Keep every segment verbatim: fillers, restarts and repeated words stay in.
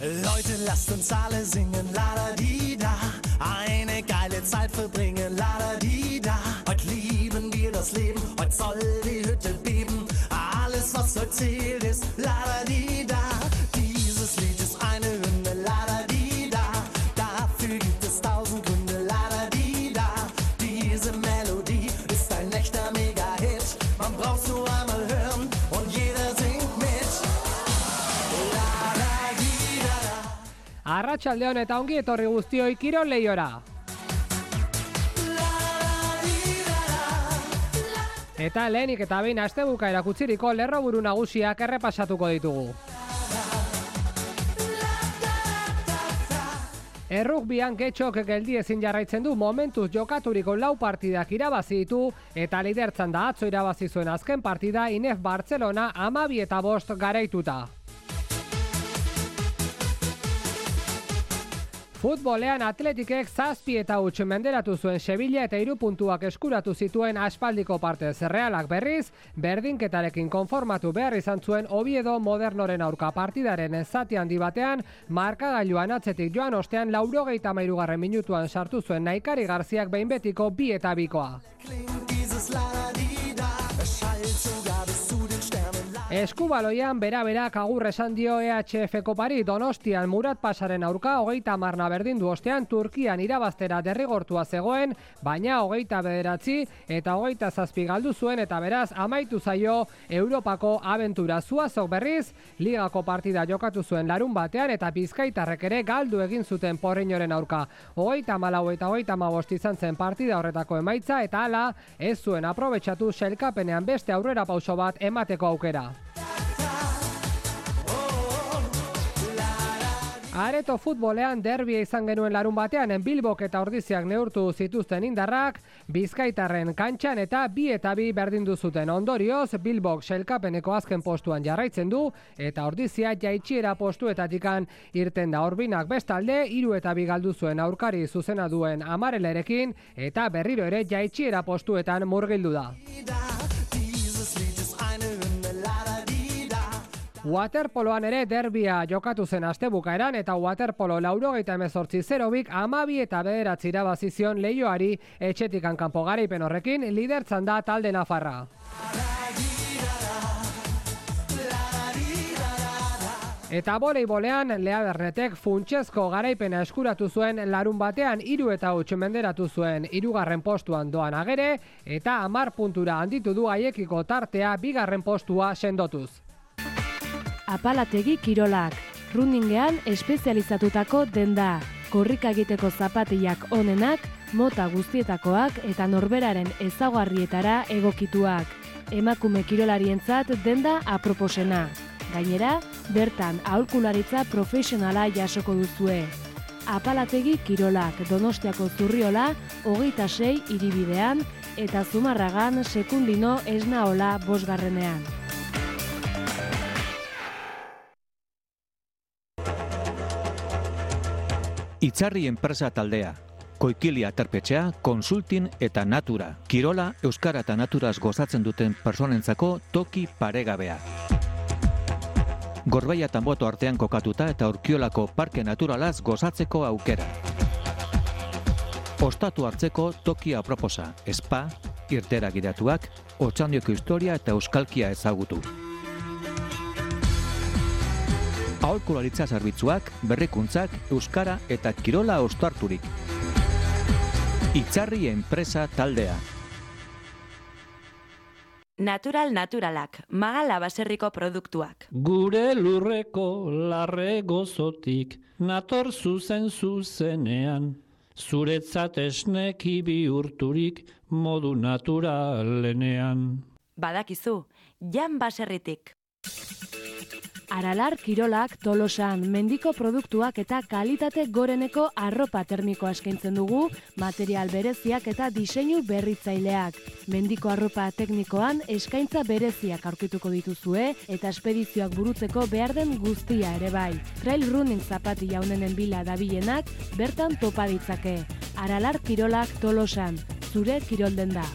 Leute, lasst uns alle singen, la-da-di-da. Eine geile Zeit verbringen, la-da-di-da. Heute lieben wir das Leben, heute soll die Hütte beben. Alles, was heute zählt, ist la-da-di-da. Dieses Lied ist eine Hymne, la-da-di-da. Dafür gibt es tausend Gründe, la-da-di-da. Diese Melodie ist ein echter Mega-Hit. Man braucht's nur einmal hören und jeder singt mit. Arratsaldeon eta ongi etorri guztioi kirol lehiora. Eta lehenik eta behin astebuka erakutsiriko lerroburu nagusiak errepasatuko ditugu. Errugbian Getxok geldi ezin jarraitzen du momentuz jokaturiko lau partidak irabazi ditu eta lidertzan da atzo irabazi zuen azken partida Inef Barcelona hamabi eta bost garaituta. Futbolean Atletikek zazpi eta huts menderatu zuen Sevilla eta hiru puntuak eskuratu zituen aspaldiko partez. Realak berriz, berdinketarekin konformatu behar izan zuen Oviedo Modernoren aurka partidaren zati handi batean, markagailuan atzetik joan ostean laurogeita hamairugarren minutuan sartu zuen Naikari Garziak behin betiko bi eta bikoa. Eskubaloian bera-berak agur esan dio E H F Kopari Donostian Murat Pasaren aurka hogeita hamarna berdindu ostean Turkian irabaztera derrigortua zegoen, baina hogeita bederatzi eta hogeita zazpi galdu zuen eta beraz amaitu zaio Europako abentura. Zuazok berriz, ligako partida jokatu zuen larun batean eta bizkaitarrek ere galdu egin zuten Porriñoren aurka. Hogeita hamalau eta hogeita hamabost izan zen partida horretako emaitza eta hala ez zuen aprobetxatu sailkapenean beste aurrera pauso bat emateko aukera. Areto futbolean derbia izan genuen larun batean Bilbok eta Ordiziak neurtu zituzten indarrak, Bizkaitarren kantxan eta bi eta bi berdindu zuten. Ondorioz, Bilbok sailkapeneko azken postuan jarraitzen du eta Ordizia jaitsiera postuetatikan irten da. Orbinak bestalde, hiru eta bi galdu zuen aurkari zuzena duen Amarelerekin eta berriro ere jaitsiera postuetan murgildu da. Waterpoloan ere derbia jokatu zen astebukaeran eta waterpolo laurogeita hemezortzi zero bik hamabi eta bederatzi irabazi zion Leioari etxetikan kanpo garaipen horrekin lidertzan da talde nafarra. Eta voleibolean Lea Bernetek funtsezko garaipena eskuratu zuen larun batean hiru eta huts menderatu zuen hirugarren postuan doan Agere eta hamar puntura handitu du haiekiko tartea bigarren postua sendotuz. Apalategi kirolak, runningean espezializatutako denda, korrika egiteko zapatiak onenak, mota guztietakoak eta norberaren ezaugarrietara egokituak. Emakume kirolarientzat denda aproposena. Gainera, bertan aholkularitza profesionala jasoko duzue. Apalategi kirolak, Donostiako Zurriola, hogeita sei hiribidean eta Zumarragan Sekundino Esnaola bosgarrenean. Itzarri enpresa taldea, Koikilia Terpetxea, Konsultin eta Natura. Kirola, euskara eta naturaz gozatzen duten personentzako toki paregabea. Gorbeia eta Anboto artean kokatuta eta Urkiolako parke naturalaz gozatzeko aukera. Ostatu hartzeko toki aproposa, spa, irtera gidatuak, Otxandioko historia eta euskalkia ezagutu. Aholkularitza zerbitzuak, berrikuntzak, euskara eta kirola ostarturik. Itzarri enpresa taldea. Natural naturalak, Magala baserriko produktuak. Gure lurreko larre gozotik, nator zuzen zuzenean, zuretzat esneki bihurturik modu naturalenean. Badakizu, Jan baserritik. Aralar Kirolak Tolosan mendiko produktuak eta kalitate goreneko arropa termikoa eskaintzen dugu, material bereziak eta diseinu berritzaileak. Mendiko arropa teknikoan eskaintza bereziak aurkituko dituzue eta espedizioak burutzeko behar den guztia ere bai. Trail running zapatilla honenen bila dabilenak bertan topa ditzake. Aralar Kirolak Tolosan, zure kirolden da.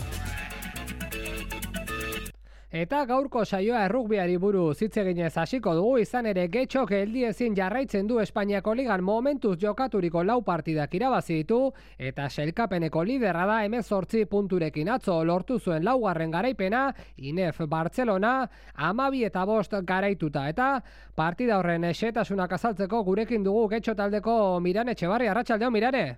Eta gaurko saioa errugbiari buruz hitz eginez hasiko dugu, izan ere Getxok geldiezin jarraitzen du Espainiako ligan momentuz jokaturiko lau partidak irabazi ditu eta sailkapeneko liderra da hemezortzi punturekin. Atzo lortu zuen laugarren garaipena Inef Bartzelona hamabi eta bost garaituta, eta partida horren xehetasunak azaltzeko gurekin dugu Getxo taldeko Mirane Etxebarri. Arratsaldeon, Mirane.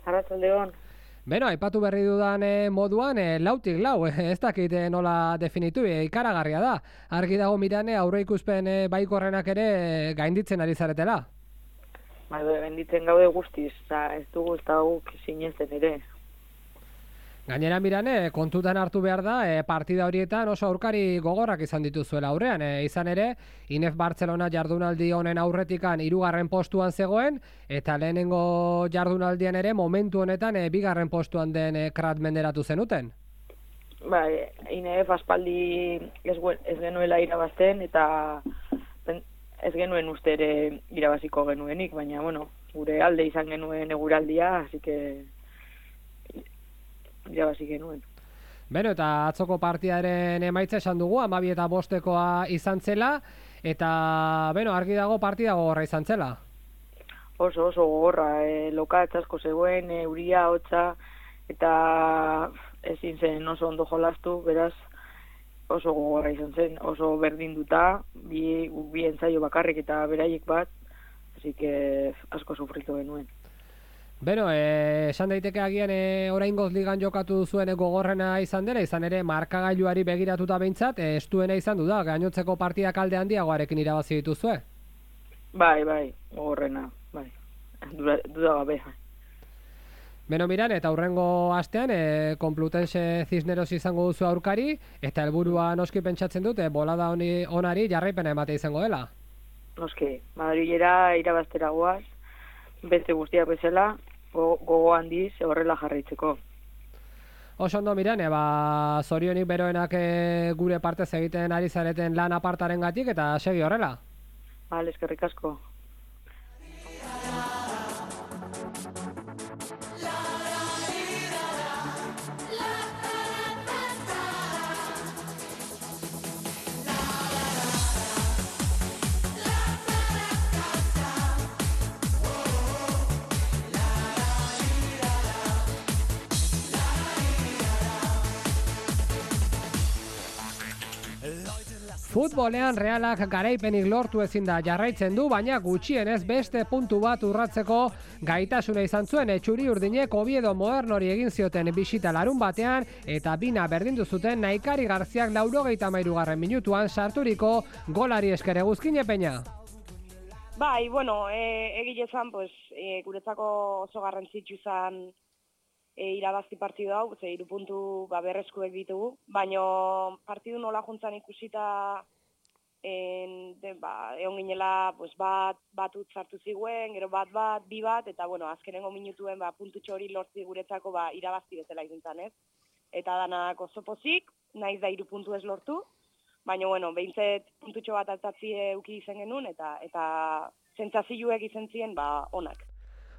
Arratsaldeon. Beno, aipatu berri dudan eh, moduan, eh, lautik lau, eh, ez dakit eh, nola definitu, eh, ikaragarria da. Argi dago, Mirane, aurreikuspen eh, baikorrenak ere eh, gainditzen ari zaretela. Bai, gainditzen gaude guztiz, eta ez dugu ez da guk sinesten ere. Gainera, Mirane, kontutan hartu behar da, e, partida horietan oso aurkari gogorrak izan dituzuela aurrean. E, izan ere, Inef Bartzelona jardunaldi honen aurretikan hirugarren postuan zegoen, eta lehenengo jardunaldian ere momentu honetan e, bigarren postuan den e, Krat menderatu zenuten. Bai, Inef aspaldi ez, ez genuela irabazten, eta ez genuen uste ere irabaziko genuenik, baina, bueno, gure alde izan genuen eguraldia, hasi que irabazi genuen. Beno, eta atzoko partiaren emaitza esan dugu, hamabi eta bostekoa izan zela, eta, beno, argi dago partida gogorra izan zela. Oso, oso gogorra, e, lokatz asko zegoen, e, euria, hotza, eta ezin zen oso ondo jolastu, beraz, oso gogorra izan zen, oso berdinduta, bi, bi entzaio bakarrik eta beraiek bat, así que asko sufritu genuen. Beno, eh, esan daiteke agian eh, oraingoz ligan jokatu zuen gogorrena izan dela, izan ere markagailuari begiratuta behintzat, eh, estuena izan du da, gainotzeko partidak alde handiagoarekin irabazi dituzue. Bai, bai, gogorrena, bai, duda gabe. Beno, Miran, eta hurrengo astean, eh, Complutense Cisneros izango duzu aurkari, eta helburua noski pentsatzen dute, bolada honi, onari jarraipena emate izango dela. Noski, Madrilera irabaztera goaz, beste guztiak bezala, gogo handiz horrela jarraitzeko. Oso ondo, Mirane, ba, zorionik beroenak e, gure partez egiten ari zareten lan apartaren gatik, eta segi horrela. Bale, eskerrik asko. Futbolean Realak garaipenik lortu ezin da jarraitzen du, baina gutxienez beste puntu bat urratzeko gaitasuna izan zuen. Txuri urdinek Oviedo Modernori egin zioten bisita larun batean, eta bina berdindu zuten Naikari Garziak laurogeita hamairugarren minutuan sarturiko golari esker. Eguzkin Peña. Bai, bueno, e, egile zan, pues, e, guretzako oso garrantzitsu zan E, irabazti partidu hau, ze hiru puntu ba, berreskuek ditugu, baina partidu nola juntzan ikusita en, de, ba, egon ginela pues, bat, bat utzartu ziguen, gero bat bat, bi bat, eta bueno, azkenengo minutuen ba, puntutxo hori lortzi guretzako ba, irabazti bezala ikuntzan, ez? Eta danak oso pozik, naiz da hiru puntu ez lortu, baina bueno, behintzet puntutxo bat altatzi euki izen genuen, eta, eta zentzazioek izen ziren ba, onak.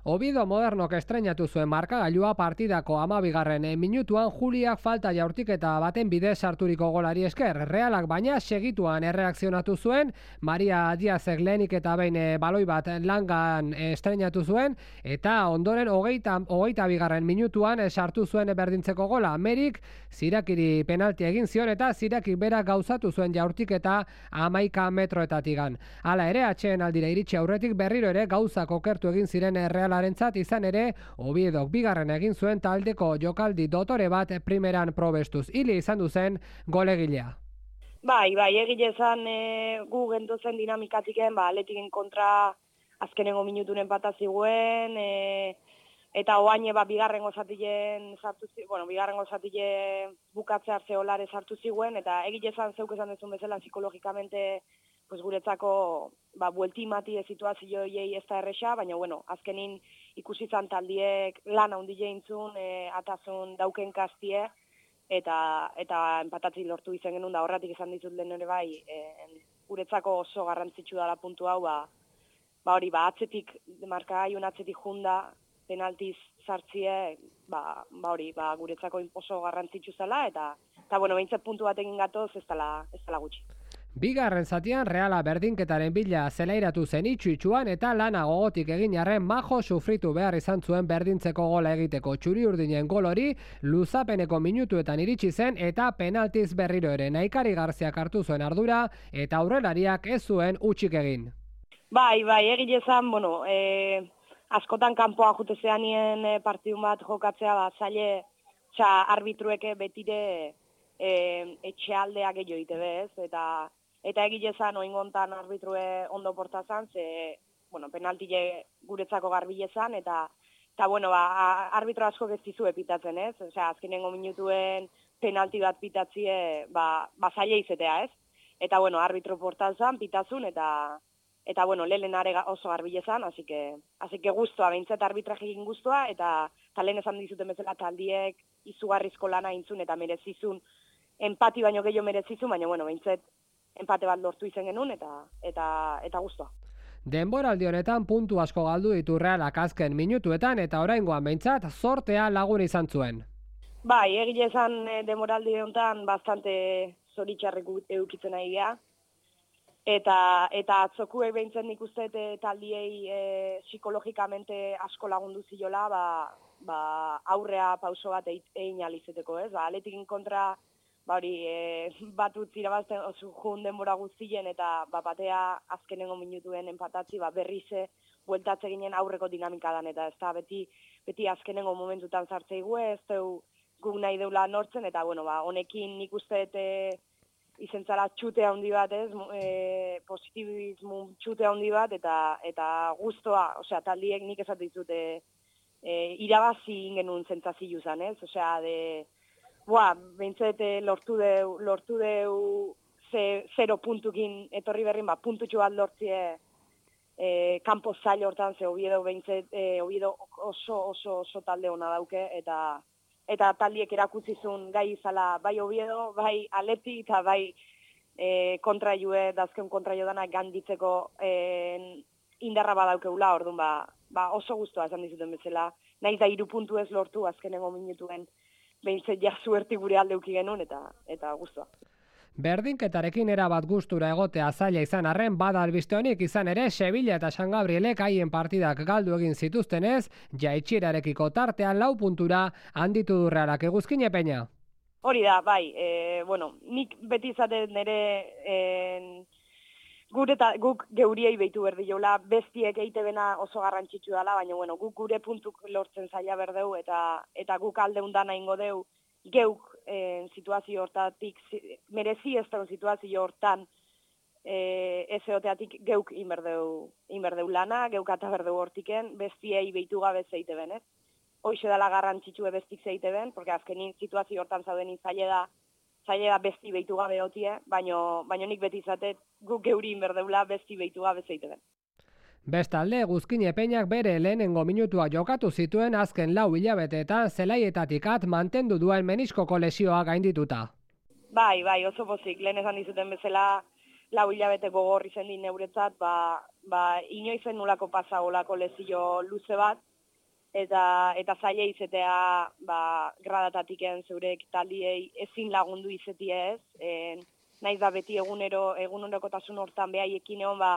Oviedo Modernok estrenatu zuen markagailua partidako hamabigarren minutuan Juliak falta jaurtiketa baten bidez sarturiko golari esker. Realak baina segituan erreakzionatu zuen, Maria Diazek lehenik eta behin baloi bat langan estrenatu zuen, eta ondoren hogeita, hogeita bigarren minutuan sartu zuen berdintzeko gola. Merik Zirakiri penalti egin zion eta Zirakik berak gauzatu zuen jaurtiketa hamaika metroetatikan. Hala ere, atxeen aldira iritsi aurretik berriro ere gauzak okertu egin ziren Real Arentzat, izan ere, Oviedok bigarren egin zuen taldeko jokaldi dotore bat primeran probestuz. Hile izan duzen golegilea. Bai, bai, egile zan e, gu genduzen dinamikatiken, ba, Atletiken kontra azkenengo minutunen bat ziguen, e, eta oaine ba, bigarren gozatilen sartu ziguen, bueno, bigarren gozatilen bukatzea zeolare sartu ziguen, eta egile zan zeuk esan dezun bezala psikologikamente pues guretzako ba, bueltimati situazio horiei ez da erresa, baina, bueno, azkenin ikusi zan taldiek lan handi jeintzun, e, atazun dauken kastie, eta eta empatatzi lortu izan genuen, da horretik izan dizut lehen ere bai, e, guretzako oso garrantzitsu dela puntu hau, ba, ba hori, ba, atzetik, markagaiun atzetik junda, penaltiz sartzie, ba, ba hori, ba, guretzako oso garrantzitsu zela, eta, eta bueno, behintzat puntu bat egin gatoz, ez dela, ez dela gutxi. Bigarren zatian Reala berdinketaren bila zelairatu zen itxu-itxuan eta lana gogotik egin arren majo sufritu behar izan zuen berdintzeko gola egiteko. Txuri-urdinen gol hori luzapeneko minutuetan iritsi zen eta penaltiz berriro ere Naikari Garziak hartu zuen ardura eta aurrelariak ez zuen utxik egin. Bai, bai, egile zan, bueno, e, askotan kanpoa jutezean nien e, partidun bat jokatzea, ba, zaile, txa, arbitrueke betire e, etxealdea gehiago ite bez, eta Eta egile zan, oingontan arbitrue ondo portazan, ze, bueno, penaltile guretzako garbile zan, eta, eta bueno, ba, arbitro asko geztizu epitatzen, ez? Osea, azkenengo minutuen penalti bat pitatzie, ba, ba zaila izetea, ez? Eta, bueno, arbitro portazan, pitazun, eta, eta bueno, lehen are oso garbile zan, así que, así que guztua, behintzat arbitraje egin guztua, eta, eta lehen esan dizuten bezala taldiek izugarrizko lana intzun, eta merezizun, empati baino gehiago merezizun, baina, bueno, behintzat, empate bat lortu izen genuen eta eta eta guztua. Denboraldi honetan puntu asko galdu ditu Realak azken minutuetan eta oraingoan behintzat zortea lagun izan zuen. Bai, egile esan denboraldi honetan bastante zoritxarrik eukitzen nahi geha. Eta, eta atzokuek behintzen nik uste taldiei e, psikologikamente asko lagundu ziola, ba, ba, aurrea pauso bat egin alizeteko, ez? Ba, Atletikin kontra ba hori, e, bat utzi irabazten oso jun denbora guztien eta ba, batea azkenengo minutuen enpatatzi, ba, berrize bueltatze ginen aurreko dinamikadan, eta ez da beti, beti azkenengo momentutan zartzeigu, ez deu guk nahi deula nortzen, eta bueno, ba, honekin nik uste e, izentzara txute handi bat, ez, e, positibismo txute handi bat, eta eta guztua, osea, taldiek nik esatu dizute e, irabazi ingenun zentzazio zan, ez, osea, de Boa, behintzete lortu deu, lortu deu ze, zero puntukin etorri berrin, ba, puntutxo bat lortzie e, kanpo zail hortan, ze Oviedo behintzet, e, Oviedo oso, oso, oso talde hona dauke, eta eta taldiek erakutzizun gai izala bai Oviedo, bai Atleti, eta bai e, kontra jue, dazken kontra jo dana ganditzeko e, indarra badaukeula, orduan, ba, ba oso guztua esan dizuten bezala, nahiz da hiru puntu ez lortu azkenengo minutuen, behintzet ja zuerti gure aldeuki genuen eta eta guztua. Berdinketarekin erabat gustura egotea zaila izan arren bada albiste honik izan ere Sevilla eta San Gabrielek haien partidak galdu egin zituztenez, jaitsirarekiko tartean lau puntura handitu du Realak. Eguzkin Peña. Hori da, bai, e, bueno, nik beti izaten nire e, gure eta guk geuriei behitu berdi jola, bestiek eite bena oso garrantzitsu dela, baina bueno, guk gure puntuk lortzen zaila berdeu eta eta guk aldeundan ingo deu geuk e, situazio hortatik, merezi ez da situazio hortan e, ez eoteatik geuk inberdeu, inberdeu lana, geuk eta berdeu hortiken, bestiei behitu gabe zeite ben, ez? Hoxe dela garrantzitsue bestik zeite ben, porque azkenin situazio hortan zauden zaila da, zaila da besti behitu gabe hotie, baino, baino nik beti izatet guk geuri inberdeula besti behitu gabe zeite ben. Bestalde, Eguzkin Peñak bere lehenengo minutua jokatu zituen azken lau hilabeteetan zelaietatik at mantendu duen meniskoko lesioa gaindituta. Bai, bai, oso pozik, lehen esan dizuten bezala lau hilabete gogorri zen din neuretzat, ba, ba inoizen nulako pasa olako lesio luze bat, eta eta zaila izetea ba, gradatatiken zeurek taldiei ezin lagundu izetie ez, e, naiz da beti egunero, egunerokotasun hortan behaiekin egon, ba,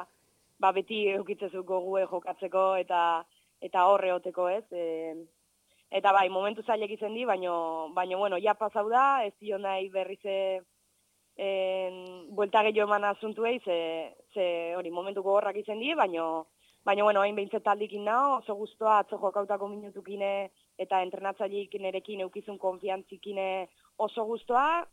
ba beti eukitzezu gogue jokatzeko eta eta horre hoteko ez, e, eta bai, momentu zailek izen di, baino, baino bueno, ja pasau da, ez dio nahi berrize en, buelta gehiago eman asuntuei, ze, ze hori momentu gogorrak izen di, baino, baina, bueno, hain behintzet taldikin nao, oso guztua atzo jokautako minutukine eta entrenatzaileik nerekin eukizun konfiantzikine oso guztua.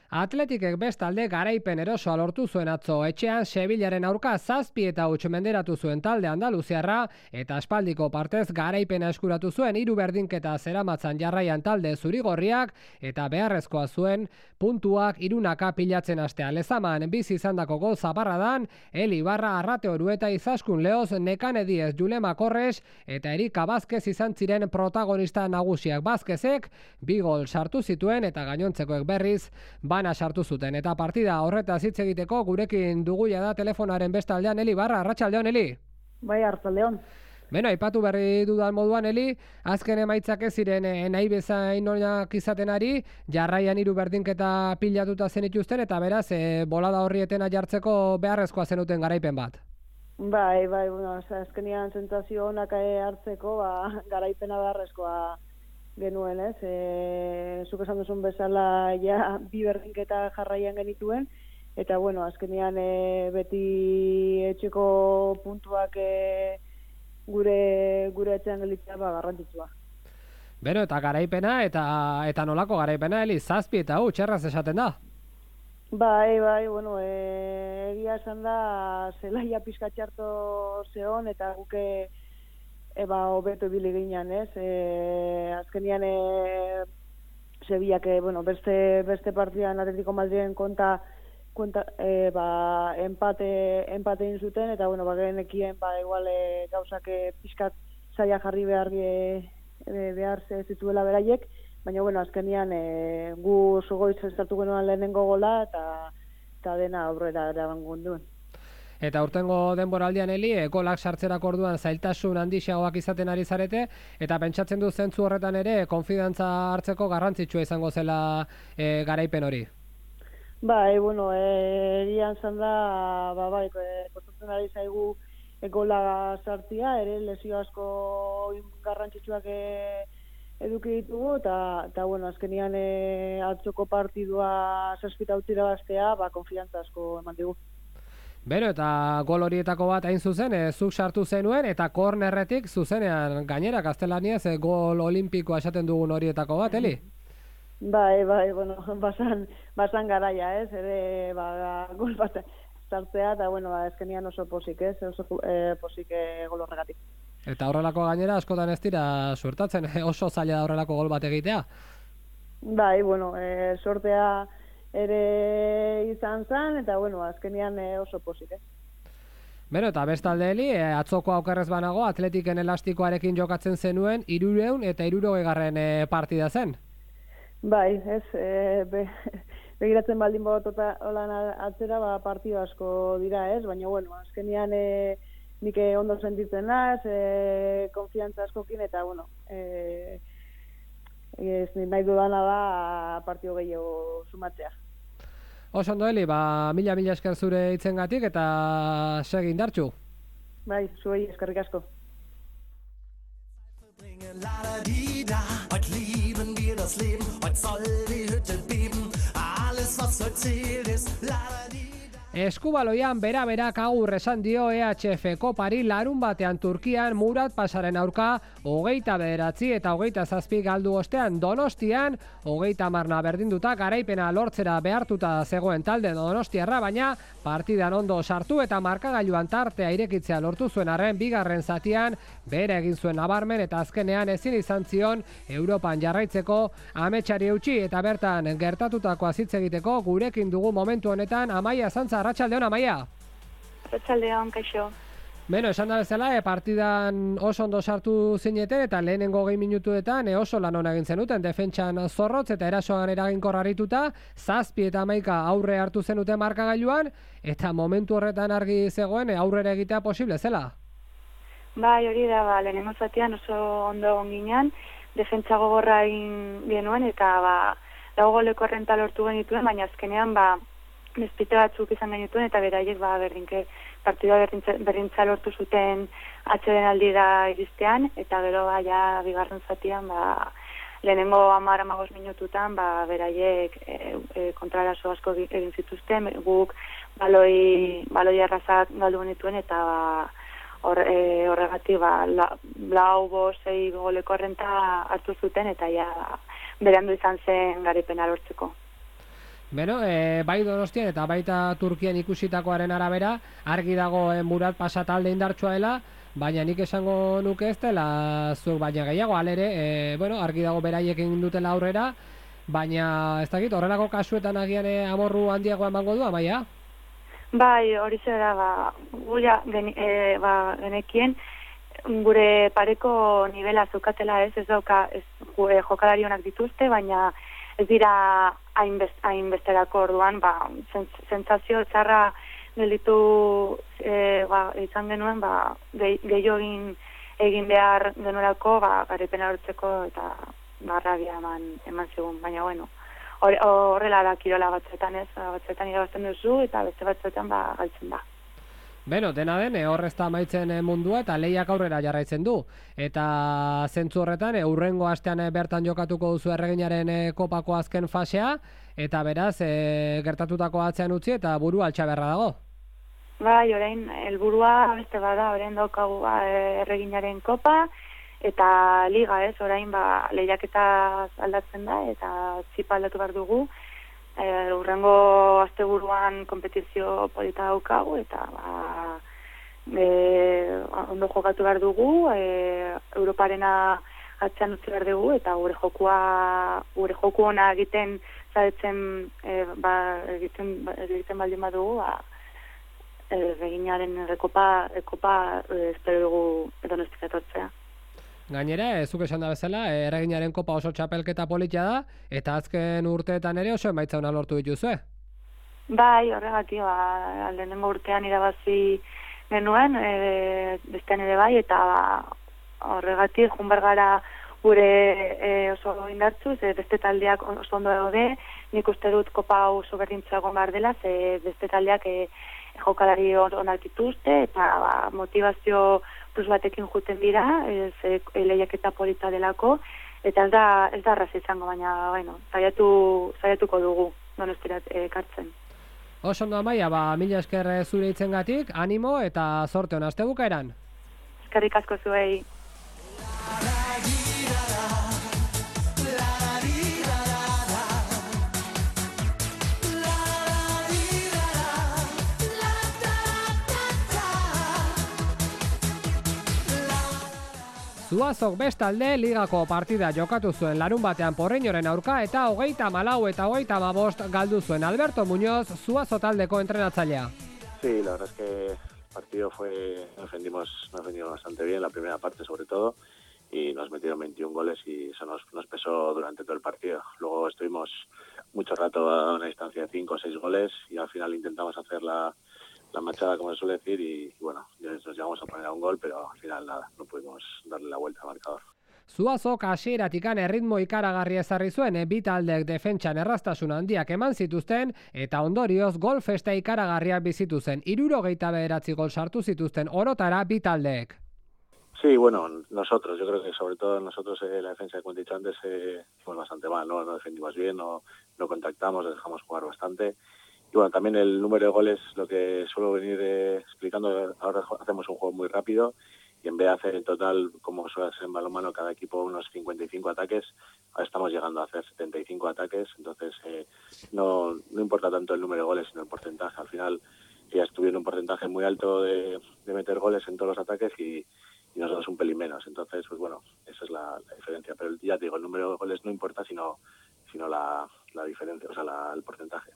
Atletikek bestalde garaipen erosoa lortu zuen atzo etxean Sevillaren aurka zazpi eta huts menderatu zuen talde andaluziarra eta aspaldiko partez garaipena eskuratu zuen hiru berdinketa zeramatzan jarraian talde zurigorriak eta beharrezkoa zuen puntuak hirunaka pilatzen astea. Lezaman bizi izandako gol zaparradan Eli Barra, Arrate Orueta, Izaskun Leoz, Nekane Diez, Julema Korres eta Erika Vázquez izan ziren protagonista nagusiak. Vázquezek bi gol sartu zituen eta gainontzekoek berriz bana sartu zuten. Eta partida horretaz hitz egiteko gurekin duguia da telefonaren bestaldean Eli Barra. Arratsaldeon, Eli. Bai, arratsaldeon. Beno, aipatu berri dudan moduan, Eli, azken emaitzak ez ziren eh, nahi bezain onak izaten ari, jarraian hiru berdinketa pilatuta zenituzten eta beraz, eh, bolada horrietena jartzeko beharrezkoa zenuten garaipen bat. Bai, bai, bueno, azkenean sentsazio onak hartzeko, ba, garaipena beharrezkoa genuen, ez? E, zuk esan duzun bezala ja bi berdinketa jarraian genituen, eta bueno, azkenean e, beti etxeko puntuak e, gure gure etxean gelditzea ba garrantzitsua. Beno, eta garaipena eta eta nolako garaipena, Eli, zazpi eta huts erraz esaten da. Bai, bai, bueno, e, egia esan da zelaia pizka txarto zeon eta guke eba hobeto ibili ginean, ez? E, azkenian e, Sevillak, e, bueno, beste beste partidan Atletico Madriden konta konta e, ba empate empate egin zuten eta bueno, ba genekien ba igual e, gauzak e, pizkat saia jarri behar e, behar ze zituela beraiek, baina bueno, azkenian e, gu sogoitz estartu genuen lehenengo gola eta eta dena aurrera eramango duen. Eta urtengo denboraldian, Eli, e, golak sartzerako orduan zailtasun handiagoak izaten ari zarete, eta pentsatzen du zentzu horretan ere konfidantza hartzeko garrantzitsua izango zela e, garaipen hori. Bai, bueno, erian zan da, ba, bai, e, kostatzen ari zaigu e, gola sartzia, ere lesio asko garrantzitsuak e, eduki ditugu, eta, eta bueno, azkenian e, atzoko partidua zazpita utzira bastea, ba, konfidantza asko eman digu. Bero, eta gol horietako bat hain zuzen, e, zuk sartu zenuen, eta kornerretik zuzenean gainera gaztelaniaz e, gol olimpikoa esaten dugun horietako bat, Eli? Bai, bai, bueno, basan, basan garaia, ez, ere, ba, gol bat sartzea, eta, bueno, ba, ezkenian oso posik, ez, oso e, posik e, gol horregatik. Eta horrelako gainera askotan ez dira suertatzen, oso zaila da horrelako gol bat egitea? Bai, bueno, e, sortea ere izan zen, eta bueno, azkenean e, oso posik, eh? Beno, eta bestalde, Eli, e, atzoko aukerrez banago, Atletiken elastikoarekin jokatzen zenuen, hirureun eta hirurogeigarren e, partida zen. Bai, ez, e, be, begiratzen baldin botota holan atzera, ba, partido asko dira, ez? Baina, bueno, azkenean e, nik ondo sentitzen naz, e, konfiantza askokin, eta, bueno, e, ez nahi dudana da partio gehiago sumatzea. Oso ondo, Eli, ba, mila mila esker zure hitzengatik eta segi indartsu. Bai, zuei eskerrik asko. Heute lieben wir das Leben, heute soll die Hütte beben, alles was heute zählt ist la-da-di-da. Eskubaloian bera-berak agur esan dio E H F Kopari larun batean Turkian Murat Pasaren aurka hogeita bederatzi eta hogeita zazpi galdu ostean Donostian hogeita hamarna berdinduta garaipena lortzera behartuta zegoen talde donostiarra, baina partidan ondo sartu eta markagailuan tartea irekitzea lortu zuen arren bigarren zatian bere egin zuen nabarmen eta azkenean ezin izan zion Europan jarraitzeko ametsari eutsi eta bertan gertatutakoa hitz egiteko gurekin dugu momentu honetan Amaia Zantza. Arratsaldeon, Amaia. Arratsaldeon, kaixo. Beno, esan da bezala, e, partidan oso ondo sartu zineten eta lehenengo gehi minutuetan e, oso lan hona egin zenuten, defentsan zorrotz eta erasoan eraginkor harrituta, zazpi eta hamaika aurre hartu zenuten markagailuan, eta momentu horretan argi zegoen e, aurrera egitea posible zela? Bai, hori da, ba, lehenengo zatian oso ondo egon ginean, defentsa gogorra egin genuen eta ba, lau goleko errenta lortu genituen, baina azkenean ba, Mespite batzuk izan genituen eta beraiek ba, berdinke partidua berdintza lortu zuten atxeden aldira iristean eta gero ba, ja, bigarren zatian ba, lehenengo hamar hamabost minututan ba, beraiek e, e, kontrarazo asko egin zituzten, guk baloi, baloi arrazak galdu genituen eta ba, hor, e, horregatik ba, la, lau bo sei goleko errenta hartu zuten eta ja, berandu izan zen garaipena lortzeko. Beno, e, bai Donostian eta baita Turkian ikusitakoaren arabera, argi dago e, Murat Pasa talde indartsua dela, baina nik esango nuke ez dela zuek baina gehiago, alere, e, bueno, argi dago beraiek egin dutela aurrera, baina ez dakit, horrelako kasuetan agian e, amorru handiago emango du, Amaia? Bai, hori zera, ba, gura gen, e, ba, genekien, gure pareko nivela zukatela ez, ez dauka, ez gure jokalari onak dituzte, baina ez dira hainbesterako orduan, ba, sentsazio txarra gelditu e, ba, izan genuen, ba, gehiago egin, egin behar genuelako, ba, garipena hortzeko eta barrabia eman, eman zigun, baina bueno, horrela da kirola batzuetan ez, batzuetan irabazten duzu eta beste batzuetan ba, galtzen da. Beno, dena den, horrez da amaitzen mundua eta lehiak aurrera jarraitzen du. Eta zentzu horretan, hurrengo astean bertan jokatuko duzu Erreginaren kopako azken fasea, eta beraz, e, gertatutako atzean utzi eta burua altxaberra dago. Bai, orain, helburua beste bada, orain daukagu ba, Erreginaren kopa, eta liga ez, orain ba, lehiaketa aldatzen da, eta txipa aldatu behar dugu. E, urrengo asteburuan kompetizio polita daukagu eta ba, e, ondo jokatu behar dugu, e, Europarena atzean utzi behar dugu eta gure jokua gure joku ona egiten zaretzen e, ba, egiten, egiten baldin badugu ba, Erreginaren rekopa, rekopa e, espero dugu Donostik etortzea. Gainera, zuk esan da bezala, Erreginaren kopa oso txapelketa politia da, eta azken urteetan ere oso emaitza ona lortu dituzue. Bai, horregatik, ba, lehenengo urtean irabazi genuen, e, bestean ere bai, eta ba, horregatik, junbar gara gure e, oso indartzuz, e, beste taldeak oso ondo daude, nik uste dut kopa oso berdintzuago behar dela, ze beste taldeak e, jokalari onak dituzte, eta ba, motivazio plus batekin juten dira, ez e, lehiaketa polita delako, eta ez da, ez da arraz izango, baina, bueno, saiatu, saiatuko dugu Donostirat ekartzen. Oso ondo Amaia, ba, mila esker zure hitzengatik, animo eta zorte hona astebukaeran. Eskerrik asko zuei. Zuazok bestalde ligako partida jokatu zuen larun batean Porreñoren aurka eta hogeita malau eta hogeita hamabost galdu zuen. Alberto Muñoz, Zuazo taldeko entrenatzailea. Sí, la verdad es que el partido fue, nos defendimos, nos defendimos bastante bien, la primera parte sobre todo, y nos metieron veintiún goles y eso nos, nos pesó durante todo el partido. Luego estuvimos mucho rato a una distancia de cinco o seis goles y al final intentamos hacer la la machada, como se suele decir, y, y bueno, nos llegamos a poner a un gol, pero al final nada, no pudimos darle la vuelta al marcador. Zuazok hasieratik erritmo ikaragarria ezarri zuen, bi taldeek defentsan erraztasun handiak eman zituzten eta ondorioz gol festa ikaragarriak bizitu zen. hirurogeita bederatzi gol sartu zituzten orotara bi taldeek. Sí, bueno, nosotros, yo creo que sobre todo nosotros eh, la defensa, como he dicho antes, eh, fuimos bastante mal, ¿no? No defendimos bien, no, no contactamos, dejamos jugar bastante. Y bueno, también el número de goles, lo que suelo venir eh, explicando, ahora hacemos un juego muy rápido y en vez de hacer en total, como suele ser en balonmano, cada equipo unos cincuenta y cinco ataques, ahora estamos llegando a hacer setenta y cinco ataques, entonces eh, no, no importa tanto el número de goles, sino el porcentaje. Al final ellas tuvieron un porcentaje muy alto de, de meter goles en todos los ataques y, y nosotros un pelín menos. Entonces, pues bueno, esa es la, la diferencia. Pero ya te digo, el número de goles no importa, sino, sino la, la diferencia, o sea, la, el porcentaje.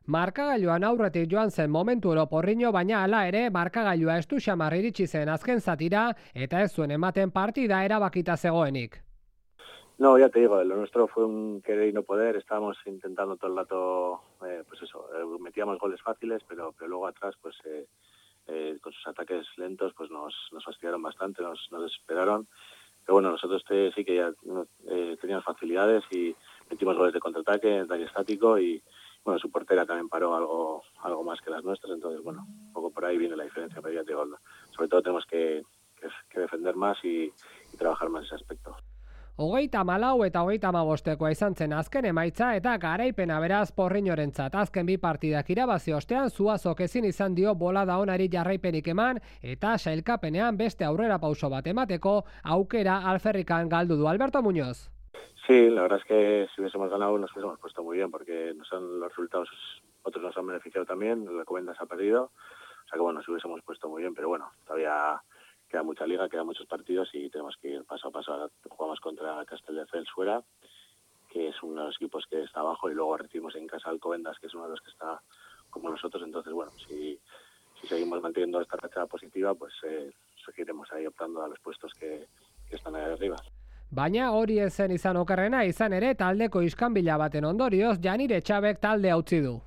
Markagailuan aurretik joan zen momentu oro Porriño, baina hala ere markagailua estu xamar iritsi zen azken zatira eta ez zuen ematen partida erabakita zegoenik. No, ya te digo, lo nuestro fue un querer y no poder, estábamos intentando todo el rato, eh, pues eso, eh, metíamos goles fáciles, pero, pero luego atrás, pues eh, eh, con sus ataques lentos, pues nos, nos fastidiaron bastante, nos, nos desesperaron. Pero bueno, nosotros te, sí que ya eh, teníamos facilidades y metimos goles de contraataque, ataque estático y bueno, su portera también paró algo algo más que las nuestras, entonces bueno, un poco por ahí viene la diferencia, pero ya te digo, sobre todo tenemos que, que, que defender más y, y trabajar más ese aspecto. Hogeita malau eta hogeita hamabostekoa izan zen azken emaitza eta garaipena beraz Porriñorentzat. Azken bi partidak irabazi ostean Zuazok ezin izan dio bolada onari jarraipenik eman eta sailkapenean beste aurrera pauso bat emateko aukera alferrikan galdu du. Alberto Muñoz. Sí, la verdad es que si hubiésemos ganado nos hubiésemos puesto muy bien, porque nos han, los resultados otros nos han beneficiado también, la Alcobendas ha perdido, o sea que bueno, nos hubiésemos puesto muy bien, pero bueno, todavía queda mucha liga, quedan muchos partidos y tenemos que ir paso a paso. Ahora jugamos contra Castelldefels fuera, que es uno de los equipos que está abajo, y luego recibimos en casa Alcobendas, que es uno de los que está como nosotros. Entonces bueno, si, si seguimos manteniendo esta racha positiva, pues eh, seguiremos ahí optando a los puestos que, que están ahí arriba. Baina hori ezen izan okerrena, izan ere taldeko iskanbila baten ondorioz Janire Txabek talde utzi du.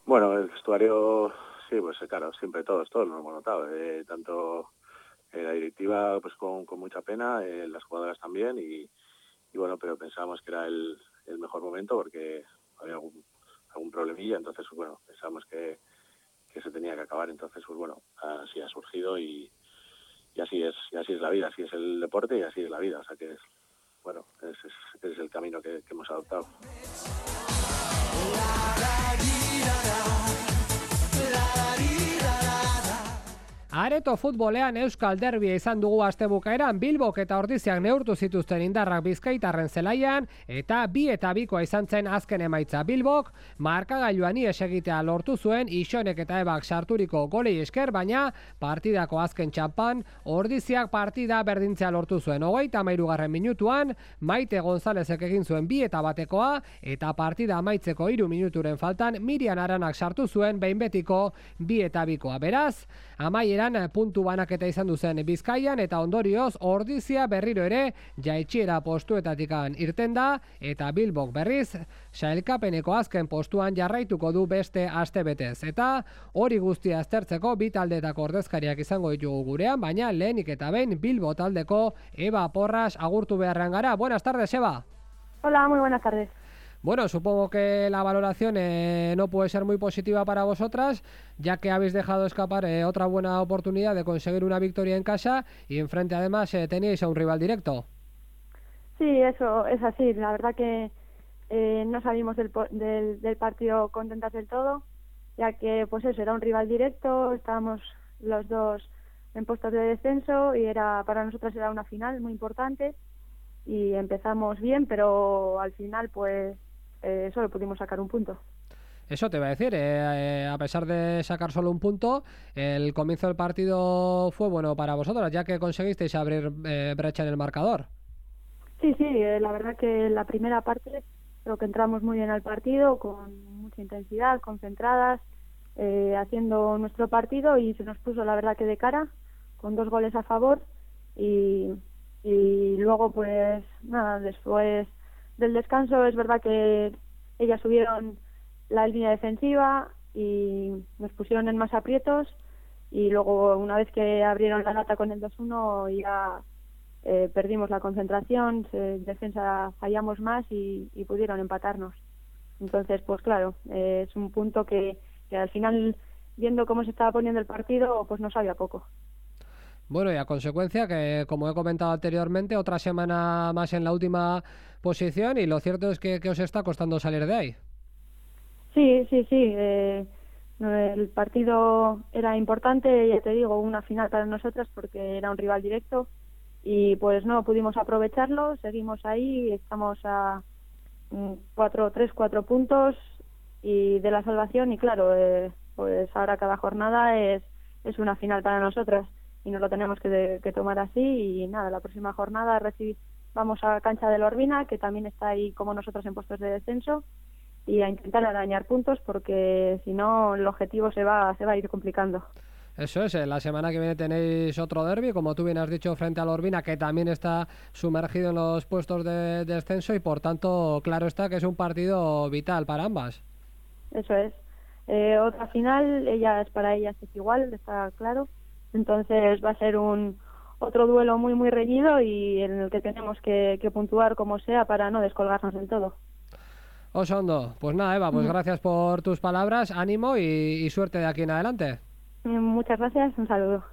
Bueno, el vestuario, sí, pues claro, siempre todos, todos lo hemos notado, eh, tanto eh, la directiva pues con, con mucha pena, eh, las jugadoras también, y, y bueno, pero pensábamos que era el, el mejor momento porque había algún, algún problemilla, entonces bueno, pensábamos que, que se tenía que acabar, entonces pues bueno, así ha surgido y, y así es, y así es la vida, así es el deporte y así es la vida, o sea que es, bueno, ese es, ese es el camino que, que hemos adoptado. Areto futbolean Euskal Derbia izan dugu astebukaeran, Bilbok eta Ordiziak neurtu zituzten indarrak Bizkaitarren zelaian, eta bi eta bikoa izan zen azken emaitza. Bilbok markagailuan ies egitea lortu zuen Ixonek eta Ebak sarturiko golei esker, baina partidako azken txampan Ordiziak partida berdintzea lortu zuen. Hogeita hamairugarren minutuan Maite Gonzalezek egin zuen bi eta batekoa, eta partida amaitzeko hiru minuturen faltan Mirian Aranak sartu zuen behin betiko bi eta bikoa. Beraz, amaieran puntu banaketa izan duzen Bizkaian, eta ondorioz Ordizia berriro ere jaitxiera postuetatikan irten da, eta Bilbok berriz sailkapeneko azken postuan jarraituko du beste astebetez. Eta hori guztia aztertzeko bi taldetako ordezkariak izango ditugu gurean, baina lehenik eta behin Bilbo taldeko Eba Porras agurtu beharrean gara. Buenas tardes, Eba. Hola, muy buenas tardes. Bueno, supongo que la valoración eh, no puede ser muy positiva para vosotras, ya que habéis dejado escapar eh, otra buena oportunidad de conseguir una victoria en casa, y enfrente además eh, teníais a un rival directo. Sí, eso es así. La verdad que eh, no salimos del, del, del partido contentas del todo, ya que pues eso, era un rival directo, estábamos los dos en puestos de descenso y era para nosotras era una final muy importante, y empezamos bien, pero al final pues Eh, solo pudimos sacar un punto. Eso te iba a decir, eh, eh, a pesar de sacar solo un punto, el comienzo del partido fue bueno para vosotros, ya que conseguisteis abrir eh, brecha en el marcador. Sí, sí, eh, la verdad que la primera parte creo que entramos muy bien al partido, con mucha intensidad, concentradas, eh, haciendo nuestro partido, y se nos puso la verdad que de cara, con dos goles a favor, y, y luego pues nada, después del descanso es verdad que ellas subieron la línea defensiva y nos pusieron en más aprietos, y luego una vez que abrieron la lata con el dos uno ya eh, perdimos la concentración, en defensa fallamos más y, y pudieron empatarnos. Entonces pues claro, eh, es un punto que, que al final, viendo cómo se estaba poniendo el partido, pues no sabía poco. Bueno, y a consecuencia que, como he comentado anteriormente, otra semana más en la última posición, y lo cierto es que, que os está costando salir de ahí. Sí, sí, sí. Eh, el partido era importante, ya te digo, una final para nosotras porque era un rival directo, y pues no pudimos aprovecharlo. Seguimos ahí, estamos a cuatro, tres, cuatro puntos y de la salvación, y claro, eh, pues ahora cada jornada es, es una final para nosotras, y nos lo tenemos que, de, que tomar así. Y nada, la próxima jornada recibir, vamos a Cancha de la Orbina, que también está ahí como nosotros en puestos de descenso, y a intentar arañar puntos, porque si no el objetivo se va, se va a ir complicando. Eso es, la semana que viene tenéis otro derbi, como tú bien has dicho, frente a la Orbina, que también está sumergido en los puestos de descenso, y por tanto claro está que es un partido vital para ambas. Eso es. Eh, otra final, ellas, para ellas es igual, está claro. Entonces va a ser un otro duelo muy muy reñido, y en el que tenemos que, que puntuar como sea para no descolgarnos del todo. Osondo, pues nada, Eva, pues gracias por tus palabras, ánimo y, y suerte de aquí en adelante. Muchas gracias, un saludo.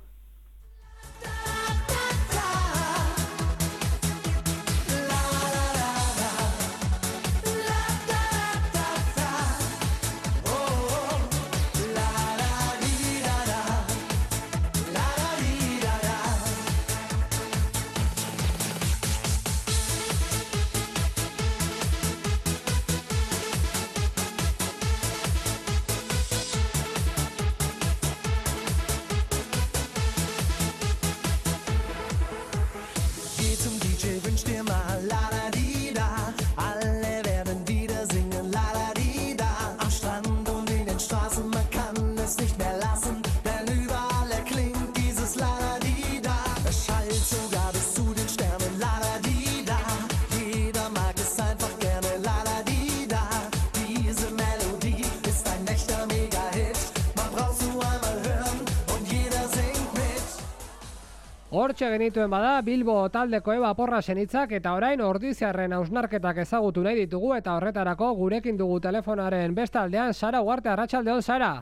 Hortxe genituen bada, Bilbo taldeko Eba Porrasen hitzak eta orain Ordiziarren hausnarketak ezagutu nahi ditugu eta horretarako gurekin dugu telefonaren beste aldean Sara Ugarte. Arratsaldeon, Sara.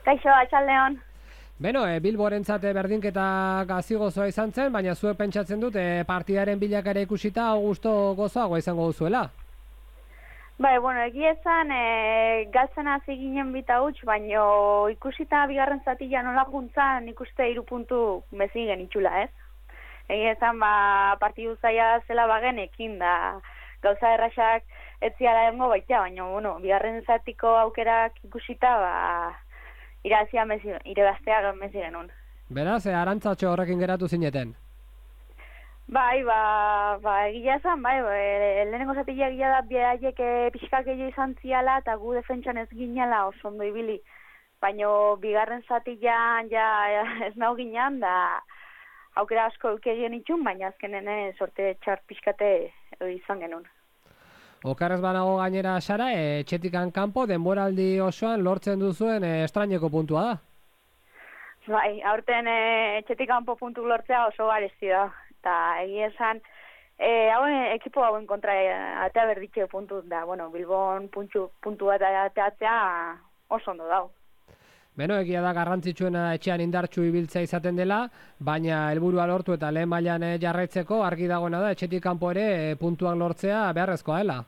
Kaixo, arratsaldeon. Beno, e, Bilborentzat berdinketa gazigozoa izan zen, baina zuek pentsatzen dut e, partidaren bilakara ikusita gusto gozoagoa izango duzuela. Bai, bueno, egia esan, e, galtzen hasi ginen bita huts, baina ikusita bigarren zatila nola juntzan ikuste hiru puntu mezi genitxula, ez? Egia esan, ba, partidu zaila zela bagenekin, da gauza erraxak etziala dengo baita, baina, bueno, bigarren zatiko aukerak ikusita, ba, irazia mezi, irebaztea mezi genuen. Beraz, e, arantzatxo horrekin geratu zineten? Bai, ba, ba, egia esan, bai, ba, e, lehenengo zatila egia da behaiek e, pixkak gehiago izan ziala eta gu defentsan ez ginela oso ondo ibili. Baina bigarren zatilan ja ez nau ginean, da aukera asko eukegien itxun, baina azkenen sorte txar pixkate izan genuen. Okarrez banago gainera, Sara, e, etxetikan kanpo denboraldi osoan lortzen duzuen e, estraineko puntua da? Bai, aurten e, etxetik kanpo puntu lortzea oso garesti da. Eta egia esan, e, hauen ekipo hauen kontra e, atea berditxe puntu da, bueno, Bilbon puntu, puntu bat ateatzea oso ondo dau. Beno, egia da garrantzitsuena etxean indartsu ibiltzea izaten dela, baina helburua lortu eta lehen mailan jarraitzeko argi dagoena da, etxetik kanpo ere e, puntuak lortzea beharrezkoa dela.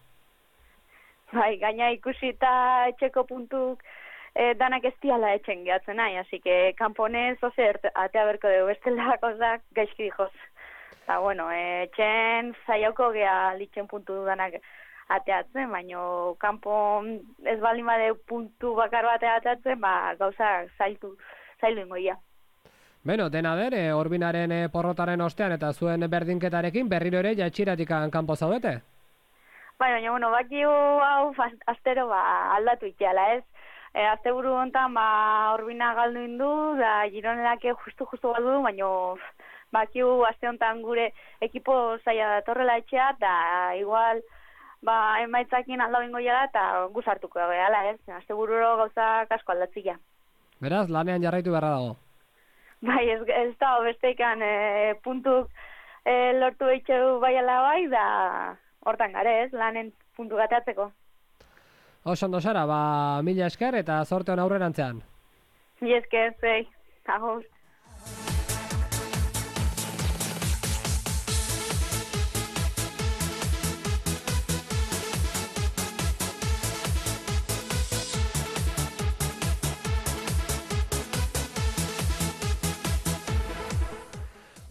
Bai, gaina ikusita etxeko puntuk e, danak ez diala etxen gehatzen nahi, así que kanponez ozer atea berko dugu, bestela kozak gaizki dijoz. Eta, bueno, etxen zaioko geha litzen puntu dudanak ateatzen, baina kanpo ez baldin bade puntu bakar bat ateatzen, ba, gauza zailtu, zaildu ingoia. Beno, dena der, e, Orbinaren e, porrotaren ostean eta zuen berdinketarekin berriro ere jaitxiratikan kanpo zaudete? Bai, baina, bueno, bakiu hau astero ba, aldatu iteala, ez? E, azte buru honetan, ba, Orbina galdu indu, da Gironelake justu-justu galdu du, baina bakiu aste honetan gure ekipo zaila datorrela etxea, eta igual ba, emaitzakin aldau ingo jala, eta guz hartuko gehala, ez? Aste bururo gauza kasko aldatzia. Beraz, lanean jarraitu beharra dago? Bai, ez, ez da, bestekan e, puntuk e, lortu eitxeu baiala bai, da hortan gare, ez? Lanen puntu gateatzeko. Oso ondo, Sara, ba, mila esker eta zorte hon aurrerantzean. Mila esker, zei, agur.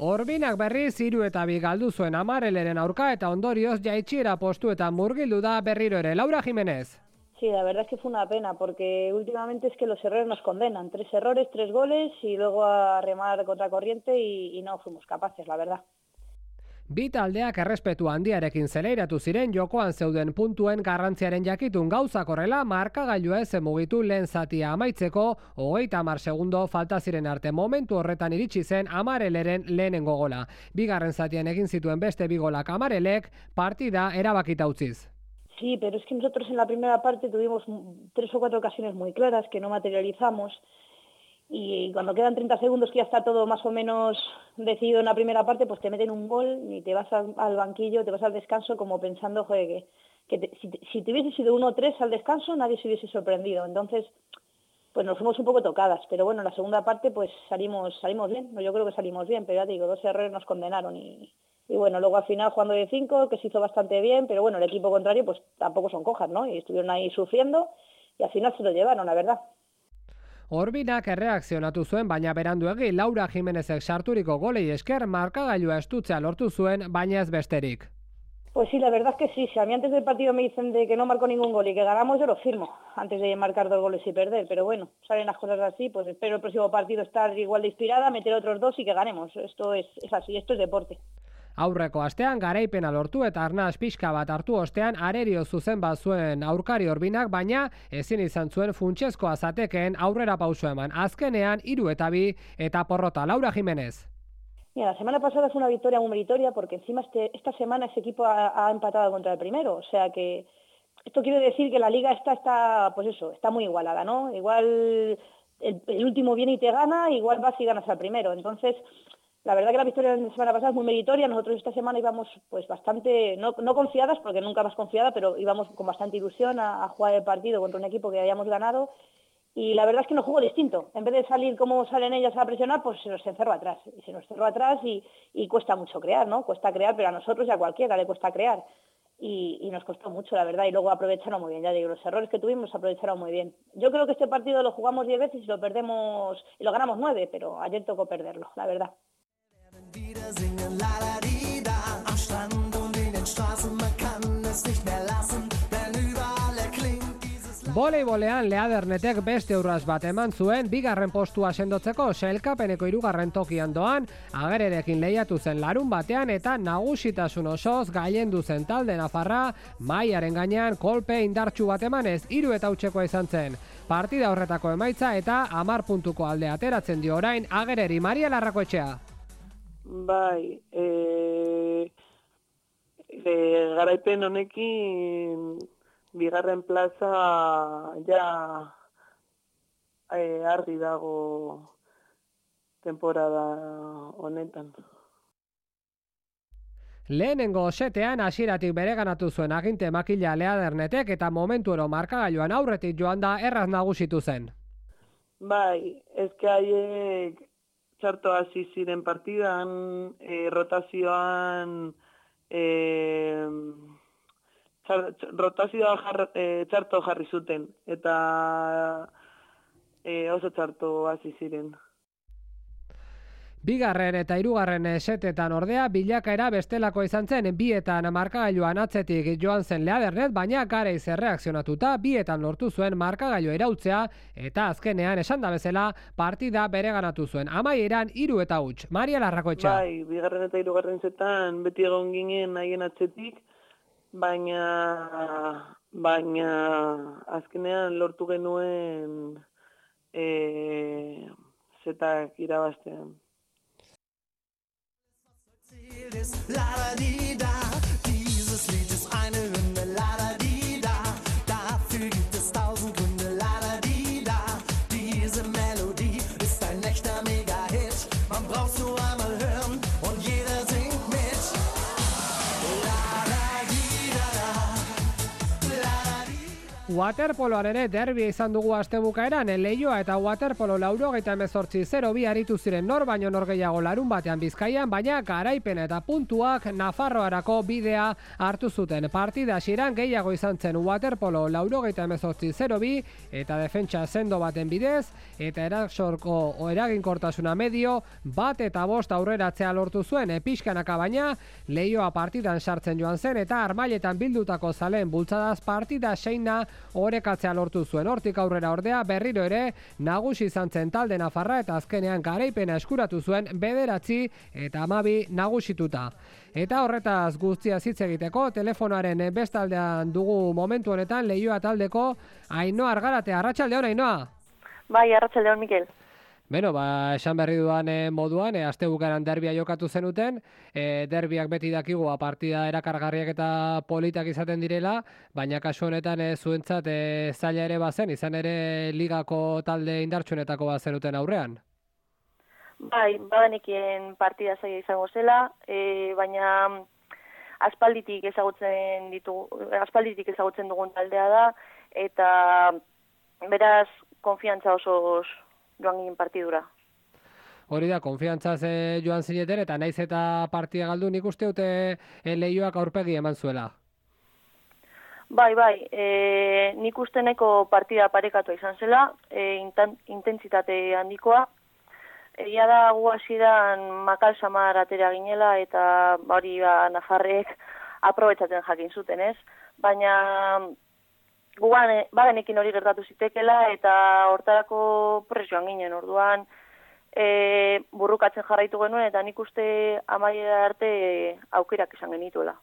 Orbinak berriz hiru eta bi galdu zuen Amareleren aurka eta ondorioz jaitxiera postuetan murgildu da berriro ere. Laura Jiménez. Sí, la verdad es que fue una pena porque últimamente es que los errores nos condenan. Tres errores, tres goles y luego a remar contra corriente y, y no fuimos capaces, la verdad. Bi taldeak errespetu handiarekin zeleiratu ziren jokoan zeuden puntuen garrantziaren jakitun gauzak horrela markagailua ez mugitu lehen zatia amaitzeko hogeita hamar segundo falta ziren arte momentu horretan iritsi zen Amareleren lehenengo gola. Bigarren zatian egin zituen beste bi golak Amarelek partida erabakita utziz. Sí, pero es que nosotros en la primera parte tuvimos tres o cuatro ocasiones muy claras que no materializamos. Y cuando quedan treinta segundos que ya está todo más o menos decidido en la primera parte, pues te meten un gol y te vas al, al banquillo, te vas al descanso como pensando, joder, que, que te, si, te, si te hubiese sido uno tres al descanso nadie se hubiese sorprendido. Entonces, pues nos fuimos un poco tocadas. Pero bueno, en la segunda parte pues salimos salimos bien. Yo creo que salimos bien, pero ya te digo, dos errores nos condenaron. Y, y bueno, luego al final jugando de cinco, que se hizo bastante bien, pero bueno, el equipo contrario pues tampoco son cojas, ¿no? Y estuvieron ahí sufriendo y al final se lo llevaron, la verdad. Orbinak erreakzionatu zuen, baina beranduegi Laura Jiménezek sarturiko golei esker markagailua estutzea lortu zuen, baina ez besterik. Pues sí, la verdad es que sí. Si a mí antes del partido me dicen de que no marcó ningún gol y que ganamos, yo lo firmo, antes de marcar dos goles y perder. Pero bueno, salen las cosas así, pues espero el próximo partido estar igual de inspirada, meter otros dos y que ganemos. Esto es, es así, esto es deporte. Aurreko astean garaipena lortu eta arnaz pixka bat hartu ostean arerio zuzen bat zuen aurkari Orbinak, baina ezin izan zuen funtsezkoa zatekeen aurrera pauso eman. Azkenean hiru eta bi eta porrota. Laura Jiménez. Mira, la semana pasada fue una victoria muy meritoria porque encima este, esta semana ese equipo ha, ha empatado contra el primero. O sea que esto quiere decir que la liga está, está, pues eso, está muy igualada, ¿no? Igual el, el último viene y te gana, igual vas y ganas al primero. Entonces, la verdad que la victoria de la semana pasada es muy meritoria. Nosotros esta semana íbamos pues bastante, no, no confiadas, porque nunca más confiada, pero íbamos con bastante ilusión a, a jugar el partido contra un equipo que habíamos ganado. Y la verdad es que no jugó distinto. En vez de salir como salen ellas a presionar, pues se nos encerró atrás. Y se nos cerró atrás y, y cuesta mucho crear, ¿no? Cuesta crear, pero a nosotros y a cualquiera le cuesta crear. Y, y nos costó mucho, la verdad, y luego aprovecharon muy bien, ya digo, los errores que tuvimos aprovecharon muy bien. Yo creo que este partido lo jugamos diez veces y lo perdemos, y lo ganamos nueve, pero ayer tocó perderlo, la verdad. Voleibolean Leadernetek beste urras bat eman zuen bigarren postua sendotzeko sailkapeneko hirugarren tokian doan, Agererekin lehiatu zen larun batean eta nagusitasun osoz gailendu zen talde nafarra mailaren gainean kolpe indartsu bat emanez hiru eta hutsekoa izan zen. Partida horretako emaitza eta hamar puntuko alde ateratzen dio orain Agereri. Maria Larrakoetxea. Bai, e, e, garaipen honekin bigarren plaza ja e, argi dago temporada honetan. Lehenengo setean hasieratik bereganatu zuen aginte makila Leadernetek eta momentuero markagailuan aurretik joan da erraz nagusitu zen. Bai, ezke haiek txarto hasi ziren partidan, e, rotazioan e, txar, rotazioa jar, e, txarto jarri zuten, eta e, oso txarto hasi ziren. Bigarren eta hirugarren setetan ordea bilakaera bestelako izan zen, bietan markagailuan atzetik joan zen Leadernet, baina garaiz erreakzionatuta bietan lortu zuen markagailua irautzea eta azkenean esan da bezala partida bereganatu zuen. Amaieran hiru eta huts. Maria Larrakoetxea. Bai, bigarren eta hirugarren setan beti egon ginen haien atzetik, baina baina azkenean lortu genuen e, setak irabaztean. La-da-di-da, dieses Lied ist eine Hymne, la-da-di-da, dafür gibt es tausend Gründe, la-da-di-da, diese Melodie ist ein echter Mega-Hit, man braucht's nur einmal hören und jeder singt mit. La-da-di-da-da, la-da-di-da. Waterpoloan ere derbia izan dugu astebukaeran, Leioa eta Waterpolo laurogeita hemezortzi zero bi aritu ziren nor baino nor gehiago larun batean Bizkaian, baina garaipena eta puntuak Nafarroarako bidea hartu zuten. Partida hasieran gehiago izan zen Waterpolo laurogeita hemezortzi zero bi eta defentsa sendo baten bidez, eta erasorko eraginkortasuna medio bat eta bost aurreratzea lortu zuen pixkanaka, baina Leioa partidan sartzen joan zen eta armailetan bildutako zaleen bultzadaz partida seina orekatzea lortu zuen. Hortik aurrera ordea berriro ere nagusi izan zen talde nafarra eta azkenean garaipena eskuratu zuen bederatzi eta hamabi nagusituta. Eta horretaz guztia hitz egiteko telefonoaren bestaldean dugu momentu honetan Leioa taldeko Ainhoa Argarate. Arratsaldeon, Ainhoa. Bai, arratsaldeon, Mikel. Beno, ba, esan berri duan e, moduan, e, astebukaeran derbia jokatu zenuten, e, derbiak beti dakigu, partida erakargarriak eta politak izaten direla, baina kasu honetan e, zuentzat e, zaila ere bazen, izan ere ligako talde indartsuenetako bazenuten aurrean. Bai, badenekien partida zaila izango zela, e, baina aspalditik ezagutzen ditu, aspalditik ezagutzen dugun taldea da, eta beraz konfiantza oso joan ginen partidura. Hori da, konfiantzaz e, joan zineten, eta naiz eta partida galdu, nik uste dute e, Leioak aurpegi eman zuela. Bai, bai, e, nik uste neko partida parekatua izan zela, e, intentsitate handikoa. Egia da gu hasieran makal samar atera ginela, eta hori ba, nafarrek aprobetsatzen jakin zuten, ez? Baina guan, bagenekin hori gertatu zitekela, eta hortarako presioan ginen orduan, e, burrukatzen jarraitu genuen, eta nik uste amaiera arte e, aukerak izan genituela.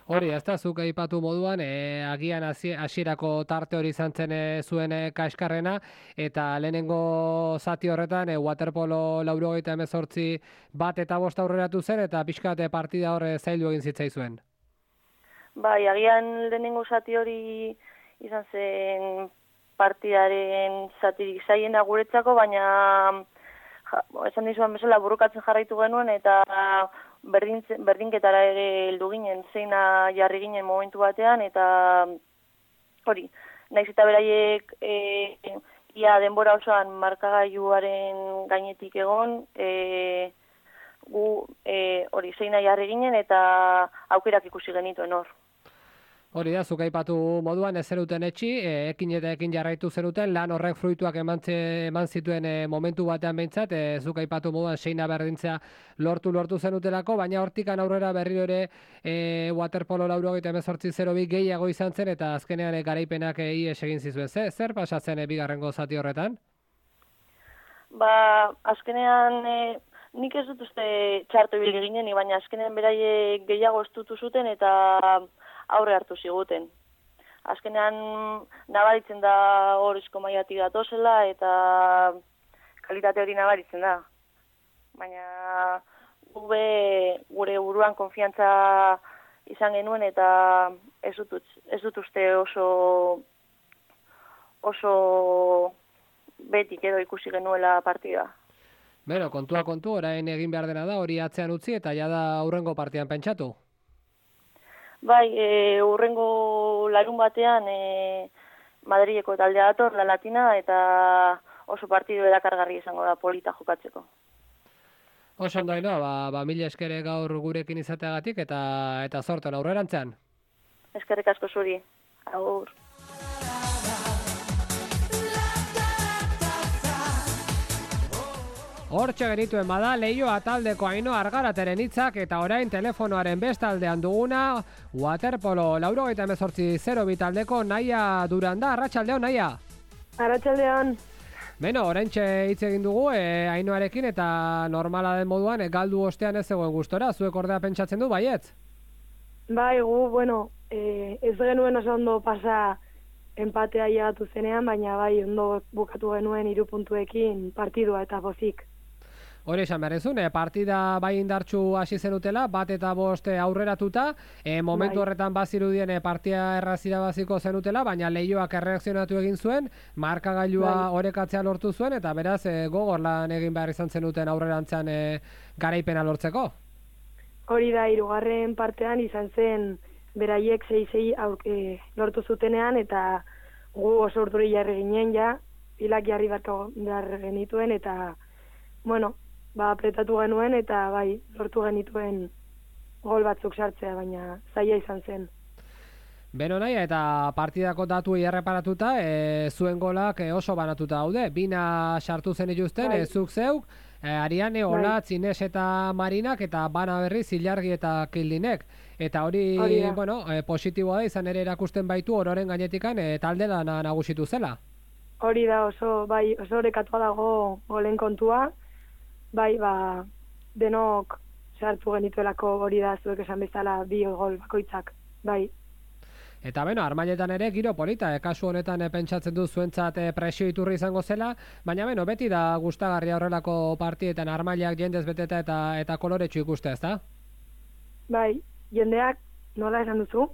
Hori, ez da, zuk aipatu moduan, e, agian hasierako tarte hori izan zen e, zuen e, kaskarrena, eta lehenengo zati horretan, e, waterpolo laurogeita hemezortzi bat eta bost aurreratu zen, eta pixkate partida horre zaildu egin zitzaizuen. Bai, agian lehenengo zati hori izan zen partidaren zatirik zaiena guretzako, baina ja, esan dizuan bezala burrukatzen jarraitu genuen, eta berdin, berdinketara ere heldu ginen, zeina jarri ginen momentu batean, eta hori, naiz eta beraiek e, ia denbora osoan markagailuaren gainetik egon, e, gu e, hori zeina jarri ginen eta aukerak ikusi genituen hor. Hori da, zuk aipatu moduan ez zeruten etxi, e, ekin eta ekin jarraitu zeruten, lan horrek fruituak eman, eman zituen e, momentu batean behintzat, e, zuk aipatu moduan seina berdintzea lortu lortu zenutelako, baina hortikan aurrera berriro ere e, waterpolo laurogeita hemezortzi zero bi gehiago izan zen, eta azkenean e, garaipenak e, ies egin zizuen. Zer, zer pasatzen e, bigarrengo zati horretan? Ba, azkenean e, nik ez dut uste txarto ibili ginen, baina azkenean beraiek gehiago estutu zuten eta aurre hartu ziguten. Azkenean nabaritzen da horrezko maiatik datozela eta kalitate hori nabaritzen da. Baina gube gure buruan konfiantza izan genuen eta ez dut, ez dut uste oso oso betik edo ikusi genuela partida. Beno, kontua kontu, orain egin behar dena da, hori atzean utzi eta ja da aurrengo partian pentsatu. Bai, e, urrengo larun batean e, Madrileko taldea dator, La Latina, eta oso partidu erakargarri izango da polita jokatzeko. Oso ondo Ainhoa, ba, ba mila eskere gaur gurekin izateagatik eta eta zorten aurrerantzean. Eskerrik asko zuri. Agur. Hortxe genituen bada, Leioa taldeko Ainhoa Argarateren hitzak eta orain telefonoaren bestaldean duguna waterpolo laurogeita hemezortzi zero bi taldeko Naia Duranda. Arratsaldeon, Naia. Arratsaldeon. Beno, oraintxe hitz egin dugu e, Ainhoarekin eta normala den moduan e, galdu ostean ez zegoen gustora. Zuek ordea pentsatzen du, baietz? Bai, gu, bueno, e, ez genuen oso ondo pasa empatea llegatu zenean, baina bai ondo bukatu genuen hiru puntuekin partidua eta pozik. Hori esan berrezun, eh, partida bai indartsu hasi zenutela, bat eta bost aurreratuta, eh, momentu bai. Horretan bazirudien eh, partia errazira baziko zenutela, baina Leioak erreakzionatu egin zuen, markagailua bai. Orekatzea lortu zuen, eta beraz eh, gogor lan egin behar izan zenuten aurrerantzan eh, garaipena lortzeko. Hori da, hirugarren partean izan zen beraiek sei sei eh, lortu zutenean, eta gu oso urduri jarri ginen ja, pilak jarri barko behar genituen, eta, bueno, ba, apretatu genuen eta bai, lortu genituen gol batzuk sartzea, baina zaila izan zen. Beno Naia, eta partidako datuei erreparatuta, e, zuen golak e, oso banatuta daude. Bina sartu zen ituzten, bai. e, zuk zeuk, e, Ariane, Olatz, bai. Ines eta Marinak, eta bana berri Zilargi eta Kildinek. Eta hori, hori bueno, e, positiboa da, izan ere erakusten baitu ororen gainetikan e, talde lana nagusitu zela. Hori da, oso, bai, oso orekatua dago golen kontua. Bai, ba, denok sartu genituelako hori da zuek esan bezala bi gol bakoitzak, bai. Eta beno, Armailetan ere giro polita, e, kasu honetan e, pentsatzen du zuentzat e, presio iturri izango zela, baina beno, beti da gustagarria horrelako partietan Armailak jendez beteta eta eta koloretsu ikustea, ezta? Bai, jendeak nola esan duzu?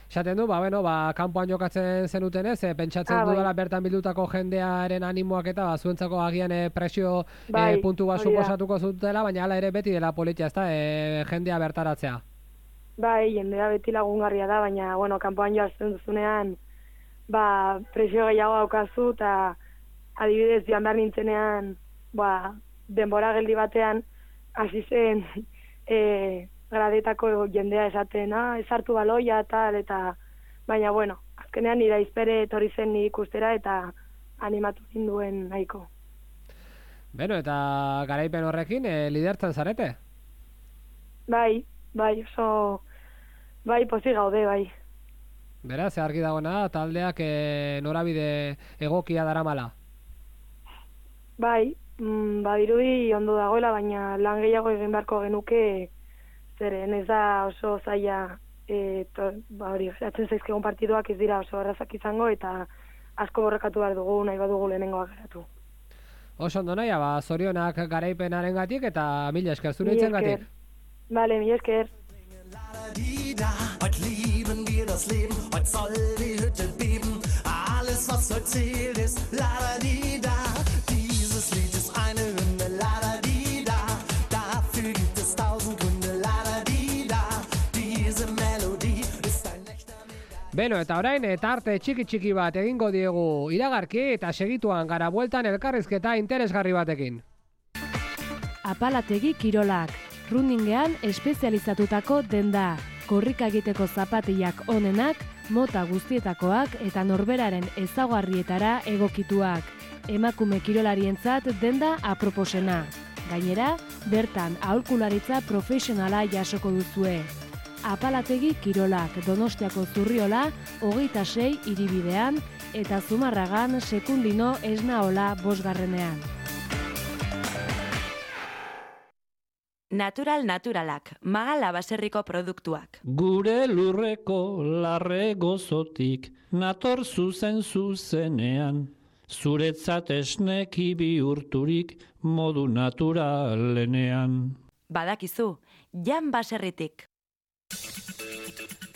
Esaten du, ba, bueno, ba, kanpoan jokatzen zenuten ez, e, pentsatzen ah, dudala bai. Bertan bildutako jendearen animoak eta ba, zuentzako agian e, presio bai, e, puntu bat suposatuko zutela, baina hala ere beti dela politia, ezta, e, jendea bertaratzea. Bai, jendea beti lagungarria da, baina, bueno, kanpoan joazen duzunean, ba, presio gehiago daukazu, eta adibidez, joan behar nintzenean, ba, denbora geldi batean, hasi zen, e, gradetako jendea esaten, ah, ez hartu baloia, tal, eta, baina, bueno, azkenean nira izpere etorri zen nik ikustera eta animatu ninduen nahiko. Beno, eta garaipen horrekin, e, lidertzen zarete? Bai, bai, oso, bai, pozik gaude, bai. Beraz, argi dagoena, taldeak e, norabide egokia daramala? Bai, mm, badirudi ondo dagoela, baina lan gehiago egin beharko genuke, zeren ez da oso zaila, e, to, ba hori, atzen zaizkegon partiduak ez dira oso errazak izango, eta asko borrekatu behar dugu, nahi badugu lehenengoak geratu. Oso ondo Naia, ba, zorionak garaipenaren gatik, eta mila esker zure itzen gatik. Bale, mila esker. Heute lieben wir das Leben, heute soll die Hütte beben, alles was heute zählt ist la-da-di-da. Dieses Lied ist eine Hymne, la Beno, eta orain tarte txiki-txiki bat egingo diegu iragarki eta segituan gara bueltan elkarrizketa interesgarri batekin. Apalategi kirolak, runningean espezializatutako denda, korrika egiteko zapatillak onenak, mota guztietakoak eta norberaren ezaugarrietara egokituak. Emakume kirolarientzat denda aproposena. Gainera, bertan aholkularitza profesionala jasoko duzue. Apalategi kirolak, Donostiako Zurriola, hogeita sei hiribidean eta Zumarragan Sekundino Esnaola bosgarrenean. Natural naturalak, Magala baserriko produktuak. Gure lurreko larre gozotik, nator zuzen zuzenean, zuretzat esneki bihurturik modu naturalenean. Badakizu, Jan baserritik.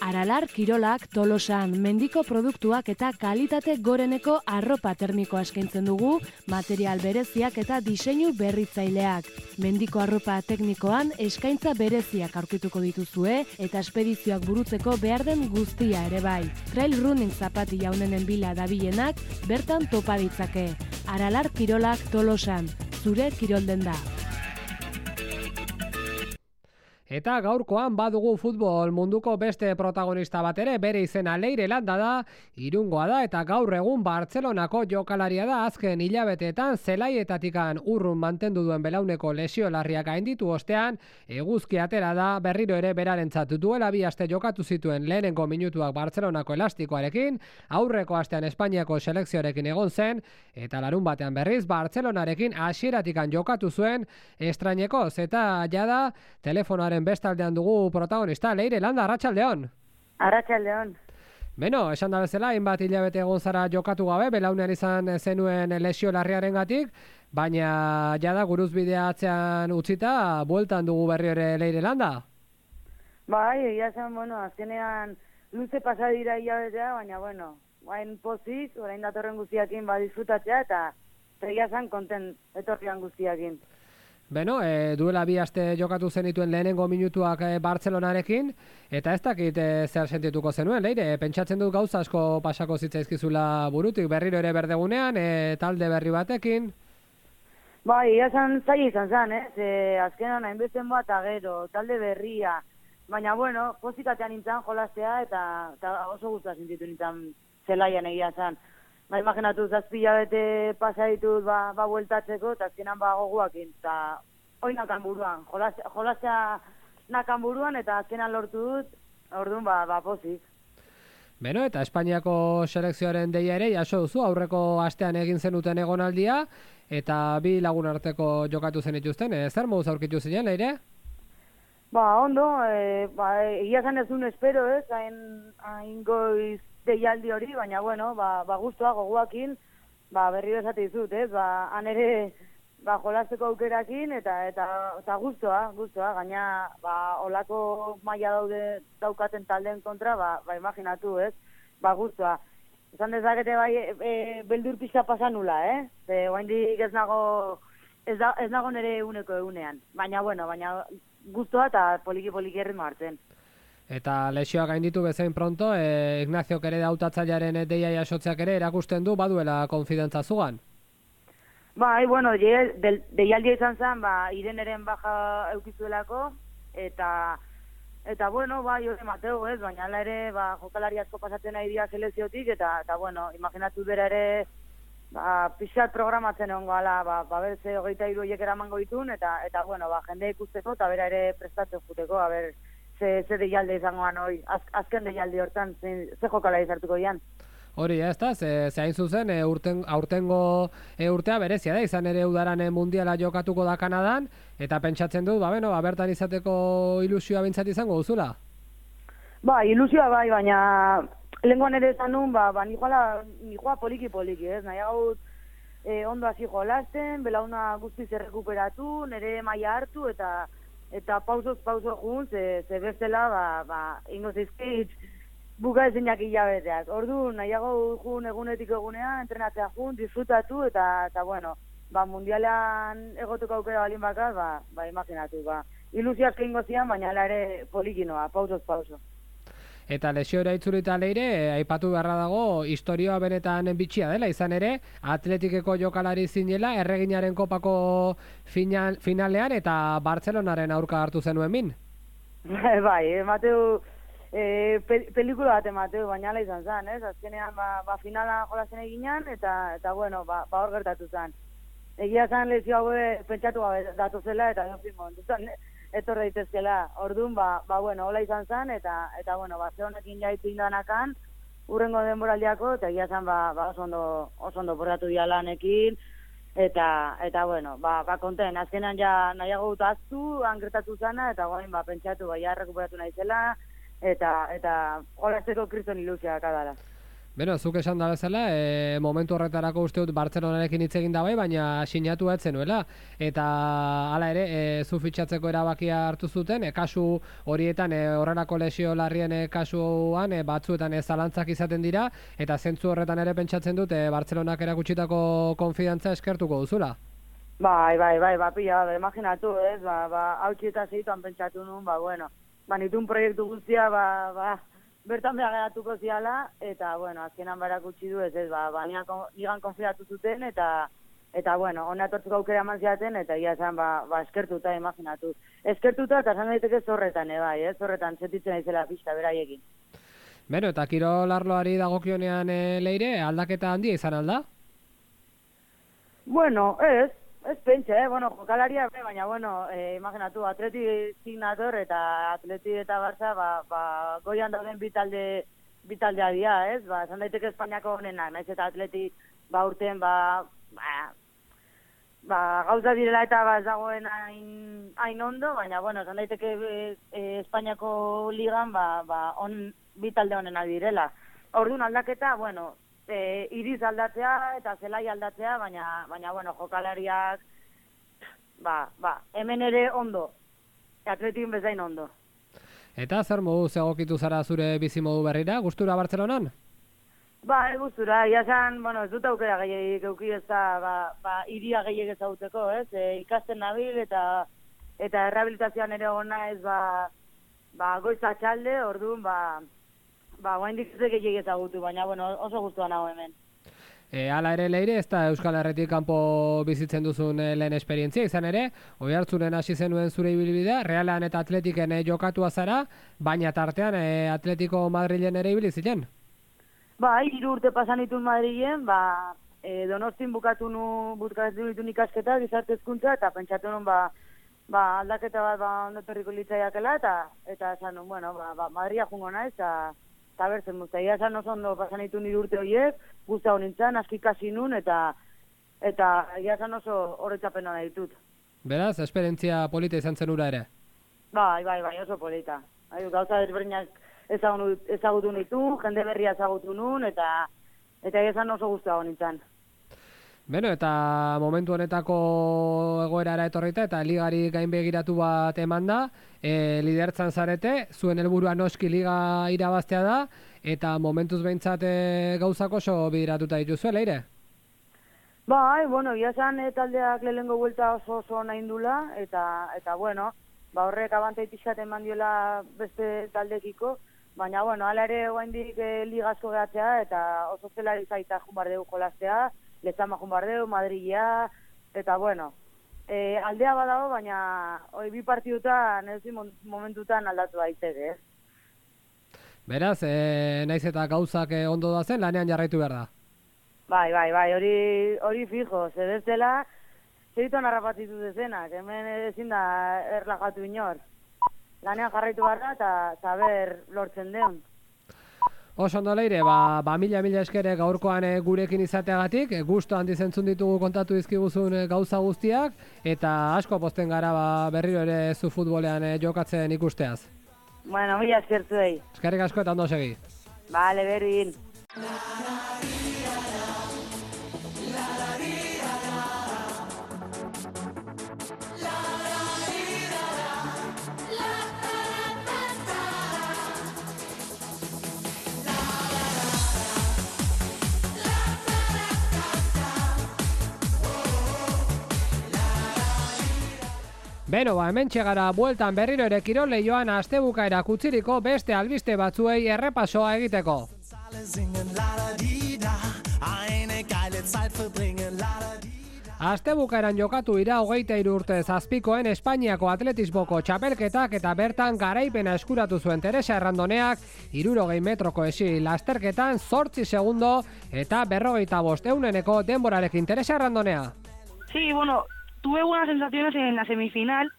Aralar kirolak Tolosan, mendiko produktuak eta kalitate goreneko arropa termikoa eskaintzen dugu, material bereziak eta diseinu berritzaileak. Mendiko arropa teknikoan eskaintza bereziak aurkituko dituzue eta espedizioak burutzeko behar den guztia ere bai. Trail running zapatilla honenen bila dabilenak bertan topa ditzake. Aralar kirolak Tolosan, zure kirolden da. Eta gaurkoan badugu futbol munduko beste protagonista bat ere, bere izena Leire Landa da, Irungoa da eta gaur egun Bartzelonako jokalaria da. Azken hilabeteetan zelaietatikan urrun mantendu duen belauneko lesio larriak gainditu ostean, eguzki atera da berriro ere berarentzat. Duela bi aste jokatu zituen lehenengo minutuak Bartzelonako elastikoarekin, aurreko astean Espainiako selekzioarekin egon zen, eta larun batean berriz Bartzelonarekin hasieratikan jokatu zuen estrainekoz, eta jada telefonoaren bestaldean dugu protagonista, Leire Landa, arratsaldeon. Arratsaldeon. Beno, esan da bezala, hainbat hilabete egon zara jokatu gabe, belaunean izan zenuen lesio larriarengatik, baina jada guruzbidea atzean utzita, bueltan dugu berri ere Leire Landa. Bai, egia zen, bueno, azkenean luze pasa dira hilabetea, baina, bueno, bain pozik, orain datorren guztiakin ba disfrutatzea, eta egia zen konten etorrian guztiakin. Beno, e, duela bi aste jokatu zenituen lehenengo minutuak e, Bartzelonarekin, eta ez dakit e, zer sentituko zenuen, Leire, pentsatzen dut gauza asko pasako zitzaizkizula burutik, berriro ere berdegunean, e, talde berri batekin. Bai, ia zan zaila izan zen, ez? E, azkenan hainbezen bat agero, talde berria, baina, bueno, pozikatean nintzen jolastea, eta, eta oso guztua sentitu nintzen zelaian egia zen. Ba, imaginatu, zazpila bete pasa ditut, ba, ba bueltatzeko, eta azkenan ba goguakin, eta hoi nakan buruan, jolastea, jolastea nakan buruan, eta azkenan lortu dut, orduan ba, ba pozik. Beno, eta Espainiako selekzioaren deia ere, jaso duzu, aurreko astean egin zenuten egonaldia, eta bi lagun arteko jokatu zenituzten, e, zer moduz aurkitu zinen, Leire? Ba, ondo, e, ba, egia zan ez duen espero, ez, hain, hain goiz deialdi hori, baina, bueno, ba, ba guztua, goguakin, ba, berri bezate dizut, ez, ba, han ere, ba, jolasteko aukerakin, eta, eta, eta guztua, guztua, gaina, ba, olako maila daude daukaten taldeen kontra, ba, ba, imaginatu, ez, ba, guztua. Esan dezakete, bai, e, e, beldur pixka pasan nula, eh, ze, oaindik ez nago, ez, da, ez nago nere eguneko egunean, baina, bueno, baina, guztua eta poliki-poliki erritmo hartzen. Eta lesioak gainditu bezain pronto, e, Ignaziok ere hautatzailearen deia jasotzeak ere erakusten du baduela konfidentza zugan. Bai, bueno, deialdia izan zen, ba, Ireneren baja eukizuelako, eta, eta bueno, bai, hori Mateo, ez, baina ala ere, ba, jokalari asko pasatzen nahi dira selekziotik, eta, eta bueno, imaginatu bera ere, ba, pixat programatzen egon gala, ba, ba, berze hogeita hiru horiek eramango ditun, eta, eta bueno, ba, jende ikusteko, eta bera ere prestatzen juteko, a ber, ze, ze deialde izangoan hori, Az, azken deialde hortan, ze, ze jokalari zartuko dian. Hori, ez da, ze, ze hain zuzen, e, urten, aurtengo e, urtea berezia da, izan ere udaran e, mundiala jokatuko da Kanadan, eta pentsatzen dut, ba, beno, ba, bertan izateko ilusioa bintzat izango duzula? Ba, ilusioa bai, baina lehenkoan ere esan nun, ba, ba nijoala, nijoa poliki-poliki, ez, nahi gaut e, ondo hasi jolasten, belauna guztiz errekuperatu, nire maila hartu, eta eta pausoz pauso jun, ze, ze bestela, ba, ba, ingo zizkit, buka ezinak hilabeteak. Ordu, nahiago jun egunetik egunea, entrenatzea jun, disfrutatu, eta, eta bueno, ba, mundialean egoteko aukera balin bakar, ba, ba, imaginatu, ba. Ilusioak egingo zian, baina ere polikinoa, pausoz pauso. eta lesiora itzulita leire, aipatu beharra dago, historioa benetan bitxia dela, izan ere, Atletikeko jokalari zinela, erreginaren kopako final, finalean, eta Bartzelonaren aurka hartu zenuen min. Bai, Mateu, e, pel pelikula bat Mateu, baina ala izan zen, ez? Azkenean, ba, ba finala jolazen eginan, eta, eta bueno, ba, ba hor gertatu zen. Egia zen lezio hau pentsatu gabe datu zela, eta dofin momentutan etorre daitezkela. Orduan, ba, ba bueno, hola izan zen, eta, eta bueno, ba, ze honekin jaitu indanakan, urrengo denboraldiako, eta egia zen, ba, ba oso ondo, oso ondo porratu dialanekin, eta, eta bueno, ba, ba konten, azkenan ja nahiago dut aztu, angretatu zana, eta guain, ba, pentsatu, ba, ja rekuperatu nahi zela, eta, eta holazteko kriston ilusiak adala. Beno, zuk esan da bezala, e, momentu horretarako uste dut Bartzelonarekin hitz egin da bai, baina sinatu ez zenuela. Eta hala ere, e, zu fitxatzeko erabakia hartu zuten, e, kasu horietan, e, horrelako lesio larrien e, kasuan, e, batzuetan ez zalantzak izaten dira, eta zentzu horretan ere pentsatzen dut, e, Bartzelonak erakutsitako konfidantza eskertuko duzula. Bai, bai, bai, ba, pila, ba, imaginatu, ez, ba, ba, hautsi eta zeituan pentsatu nun, ba, bueno, ba, nitun proiektu guztia, ba, ba, bertan behar geratuko ziala, eta, bueno, azkenan barak utzi du, ez ez, ba, ba nigan konfidatu zuten, eta, eta, bueno, hona etortzeko aukera eman ziaten, eta ia zen, ba, ba, eskertuta, imaginatu. Eskertuta, eta zan daiteke zorretan, e, bai, ez, zorretan, sentitzen aizela pixka, beraiekin. Beno, eta kirol arloari dagokionean e, leire, aldaketa handia izan alda? Bueno, ez, ez pentsa, eh? Bueno, jokalaria, baina, bueno, eh, imaginatu, Atleti signator eta Atleti eta Barça, ba, ba, goian dauden bitalde, bitaldea dira, ez? Ba, esan daiteke Espainiako honenak, naiz eta Atleti, ba, urten, ba, ba, ba, gauza direla eta ba, ez dagoen hain, hain ondo, baina, bueno, esan daiteke e, e, Espainiako ligan, ba, ba, on, bitalde honenak direla. Orduan aldaketa, bueno, E, iriz aldatzea eta zelai aldatzea, baina, baina bueno, jokalariak, ba, ba, hemen ere ondo, Atletin bezain ondo. Eta zer modu egokitu zara zure bizimodu berrira, gustura Bartzelonan? Ba, gustura, ia zan, bueno, ez dut aukera gehiagik euki ez da, ba, ba, iria gehiagik ezaguteko, ez? E, ikasten nabil eta eta errehabilitazioan ere gona ez, ba, ba, goiza txalde, orduan, ba, ba, guain dikizek gehiagik ezagutu, baina, bueno, oso gustua nago hemen. E, ala ere leire, ez da Euskal Herretik kanpo bizitzen duzun e, lehen esperientzia, izan ere, Oiartzunen hasi zenuen zure ibilbidea, Realan eta Atletiken e, jokatua zara, baina tartean e, Atletico Madrilen ere ibili ziren? Ba, hiru urte pasan ditun Madrilen, ba, e, Donostin bukatu nu, bukatu ditun ikasketa, gizarte hezkuntza, eta pentsatu nun, ba, ba, aldaketa bat, ba, ondotorriko litzaiakela, eta, eta esan nun, bueno, ba, ba, Madria jungo naiz, eta eta berzen muzta, ia esan oso ondo pasan ditu nire urte horiek, guzta honintzen, aski kasi nun, eta eta ia esan oso horretzapena nahi ditut. Beraz, esperientzia polita izan zen ura ere? Bai, bai, bai, oso polita. Bai, gauza desberdinak ezagutu nitu, jende berria ezagutu nun, eta eta ia esan oso guzta honintzen. Beno, eta momentu honetako egoerara etorrita eta ligari gainbegiratu bat eman da, e, lidertzan zarete, zuen helburua noski liga irabaztea da, eta momentuz behintzat e, gauzak oso bideratuta dituzue, leire? Bai, bueno, ia zan e, taldeak lehengo buelta oso oso nahi indula, eta, eta bueno, ba horrek abantaitizat eman diola beste taldekiko, baina, bueno, ala ere oaindik e, ligazko gehatzea, eta oso zelari zaita junbardeu jolaztea, Lezama junbardeu, Madrilea, eta bueno, e, aldea badago, baina oi, bi partidutan, ez momentutan aldatu daiteke, eh? Beraz, e, naiz eta gauzak e, ondo da zen, lanean jarraitu behar da? Bai, bai, bai, hori, hori fijo, zedezela, zeituan harrapatitu dezenak, hemen ezin da erlajatu inor. Lanean jarraitu behar da, eta saber lortzen deun. Oso ondo leire, ba, ba mila mila eskere gaurkoan e, gurekin izateagatik, e, gusto handi zentzun ditugu kontatu dizkiguzun e, gauza guztiak, eta asko posten gara ba, berriro ere zu futbolean e, jokatzen ikusteaz. Bueno, mila eskertu dei. Eskerrik asko eta ondo segi. Bale, berdin. Beno, ba, hemen txegara bueltan berriro ere kirol leioan astebukaera kutziriko beste albiste batzuei errepasoa egiteko. Astebukaeran jokatu ira hogeita hiru urte zazpikoen Espainiako atletismoko txapelketak eta bertan garaipena eskuratu zuen Teresa Errandoneak hirurogei metroko esi lasterketan zortzi segundo eta berrogeita bost euneneko denborarekin. Teresa Errandonea. Sí, bueno, tuve buenas sensaciones en la semifinal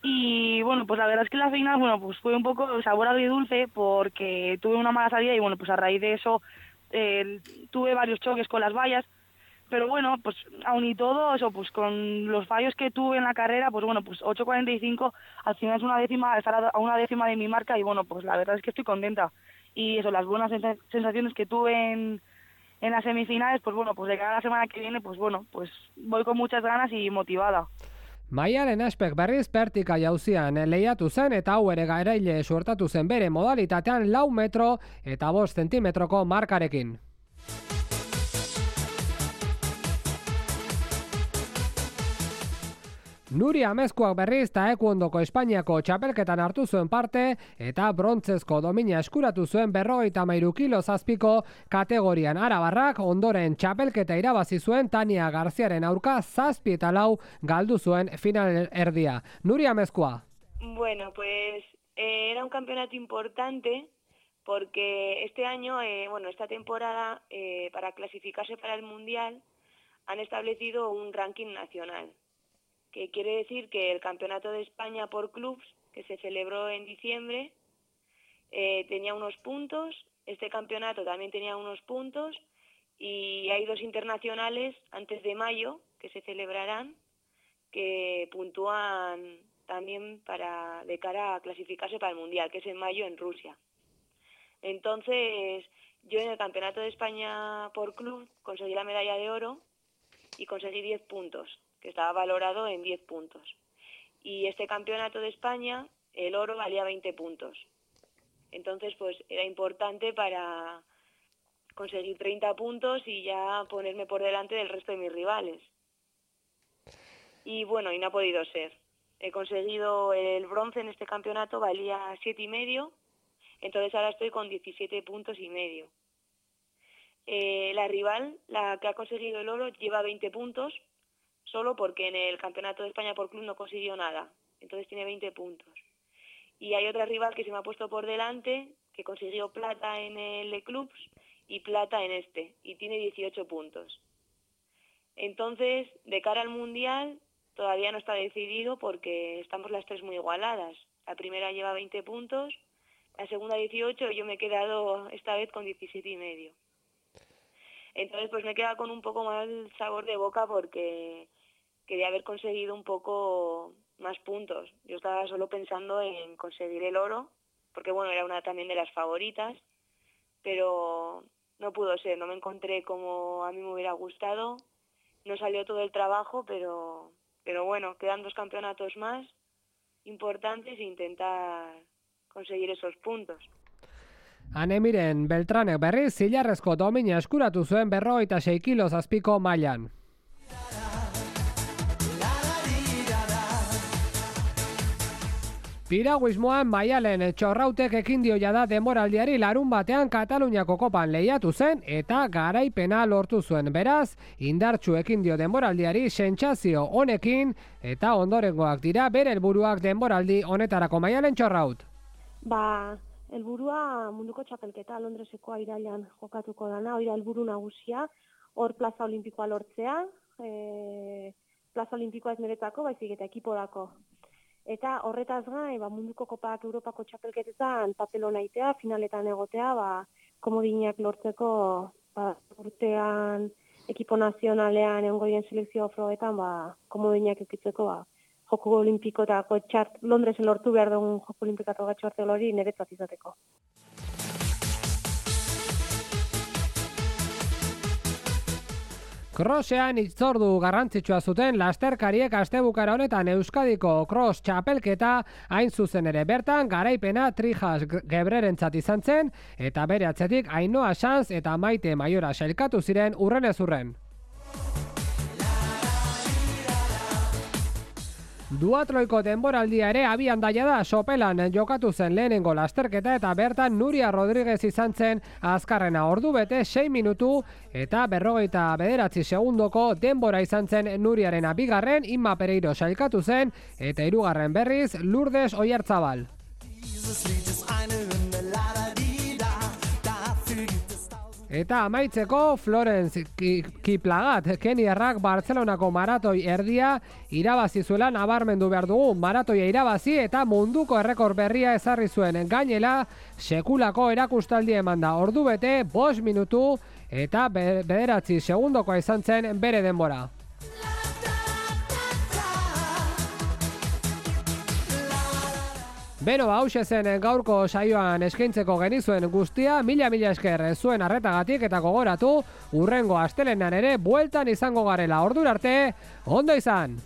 y bueno, pues la verdad es que la final, bueno, pues fue un poco sabor agridulce porque tuve una mala salida y bueno, pues a raíz de eso eh, tuve varios choques con las vallas. Pero bueno, pues aún y todo, eso, pues con los fallos que tuve en la carrera, pues bueno, pues ocho cuarenta y cinco, al final es una décima, estar a una décima de mi marca y bueno, pues la verdad es que estoy contenta. Y eso, las buenas sensaciones que tuve en, en las semifinales, pues bueno, pues de cara a la semana que viene, pues bueno, pues voy con muchas ganas y motivada. Maialen Aspek berriz pertika jauzian lehiatu zen eta hau ere garaile suertatu zen bere modalitatean lau metro eta bost zentimetroko markarekin. Nuri Amezkoak berriz taekuondoko Espainiako txapelketan hartu zuen parte eta brontzezko domina eskuratu zuen berrogeita hamairu kilo zazpiko kategorian. Arabarrak ondoren txapelketa irabazi zuen Tania Garziaren aurka zazpi eta lau galdu zuen final erdia. Nuri Amezkoa. Bueno, pues eh, era un campeonato importante porque este año, eh, bueno, esta temporada, eh, para clasificarse para el Mundial, han establecido un ranking nacional, que quiere decir que el Campeonato de España por clubs, que se celebró en diciembre, eh, tenía unos puntos, este campeonato también tenía unos puntos, y hay dos internacionales antes de mayo, que se celebrarán, que puntúan también para de cara a clasificarse para el Mundial, que es en mayo en Rusia. Entonces, yo en el Campeonato de España por club conseguí la medalla de oro y conseguí diez puntos, que estaba valorado en diez puntos. Y este campeonato de España, el oro valía veinte puntos. Entonces, pues era importante para conseguir treinta puntos y ya ponerme por delante del resto de mis rivales. Y bueno, y no ha podido ser. He conseguido el bronce en este campeonato, valía siete y medio, entonces ahora estoy con diecisiete puntos y medio. Eh, la rival, la que ha conseguido el oro, lleva veinte puntos, solo porque en el Campeonato de España por club no consiguió nada, entonces tiene veinte puntos. Y hay otra rival que se me ha puesto por delante, que consiguió plata en el de clubs y plata en este, y tiene dieciocho puntos. Entonces, de cara al Mundial, todavía no está decidido porque estamos las tres muy igualadas. La primera lleva veinte puntos, la segunda dieciocho, y yo me he quedado esta vez con diecisiete y medio. Entonces, pues me queda con un poco mal sabor de boca porque quería haber conseguido un poco más puntos. Yo estaba solo pensando en conseguir el oro, porque bueno, era una también de las favoritas, pero no pudo ser, no me encontré como a mí me hubiera gustado, no salió todo el trabajo, pero, pero bueno, quedan dos campeonatos más importantes e intentar conseguir esos puntos. Anemiren Beltranek berriz zilarrezko domina eskuratu zuen berrogeita sei kilo zazpiko mailan. Piraguismoan Maialen Txorrautek ekin dio jada denboraldiari larun batean Kataluniako kopan lehiatu zen eta garaipena lortu zuen. Beraz, indartsu ekin dio denboraldiari sentsazio honekin eta ondorengoak dira bere helburuak denboraldi honetarako. Maialen Txorraut. Ba, helburua munduko txapelketa Londresekoa irailean jokatuko dana, hori da helburu nagusia, hor plaza olimpikoa lortzea, e, plaza olimpikoa ez niretzako, baizik eta ekipodako. Eta horretaz gain, ba, munduko kopak Europako txapelketetan papelona itea, finaletan egotea, ba, komodinak lortzeko ba, urtean ekipo nazionalean egongo diren selekzio frogetan, ba, komodinak ekitzeko ba, Joko Olimpikotako txart, Londresen lortu behar dugun Joko Olimpikotako txarte hori niretzat izateko. Crossean hitzordu garrantzitsua zuten lasterkariek astebukara honetan Euskadiko cross txapelketa hain zuzen ere. Bertan garaipena Trijas Gebrerentzat izan zen eta bere atzetik Ainhoa Sanz eta Maite Maiora sailkatu ziren urrenez urren. Duatloiko denboraldia ere abian daia da. Sopelan jokatu zen lehenengo lasterketa eta bertan Nuria Rodríguez izan zen azkarrena. Ordu bete sei minutu eta berrogeita bederatzi segundoko denbora izan zen Nuriaren bigarren, Inma Pereiro sailkatu zen eta hirugarren berriz Lourdes Oyarzabal. Eta amaitzeko Florence Kiplagat, keniarrak Bartzelonako maratoi erdia irabazi zuela nabarmendu behar dugu. Maratoia irabazi eta munduko errekor berria ezarri zuen. Gainela, sekulako erakustaldia eman da. Ordu bete, bost minutu eta bederatzi segundokoa izan zen bere denbora. Beno, hause zen gaurko saioan eskaintzeko genizuen guztia, mila-mila esker zuen arretagatik eta gogoratu, urrengo astelenan ere bueltan izango garela. Ordura arte, ondo izan!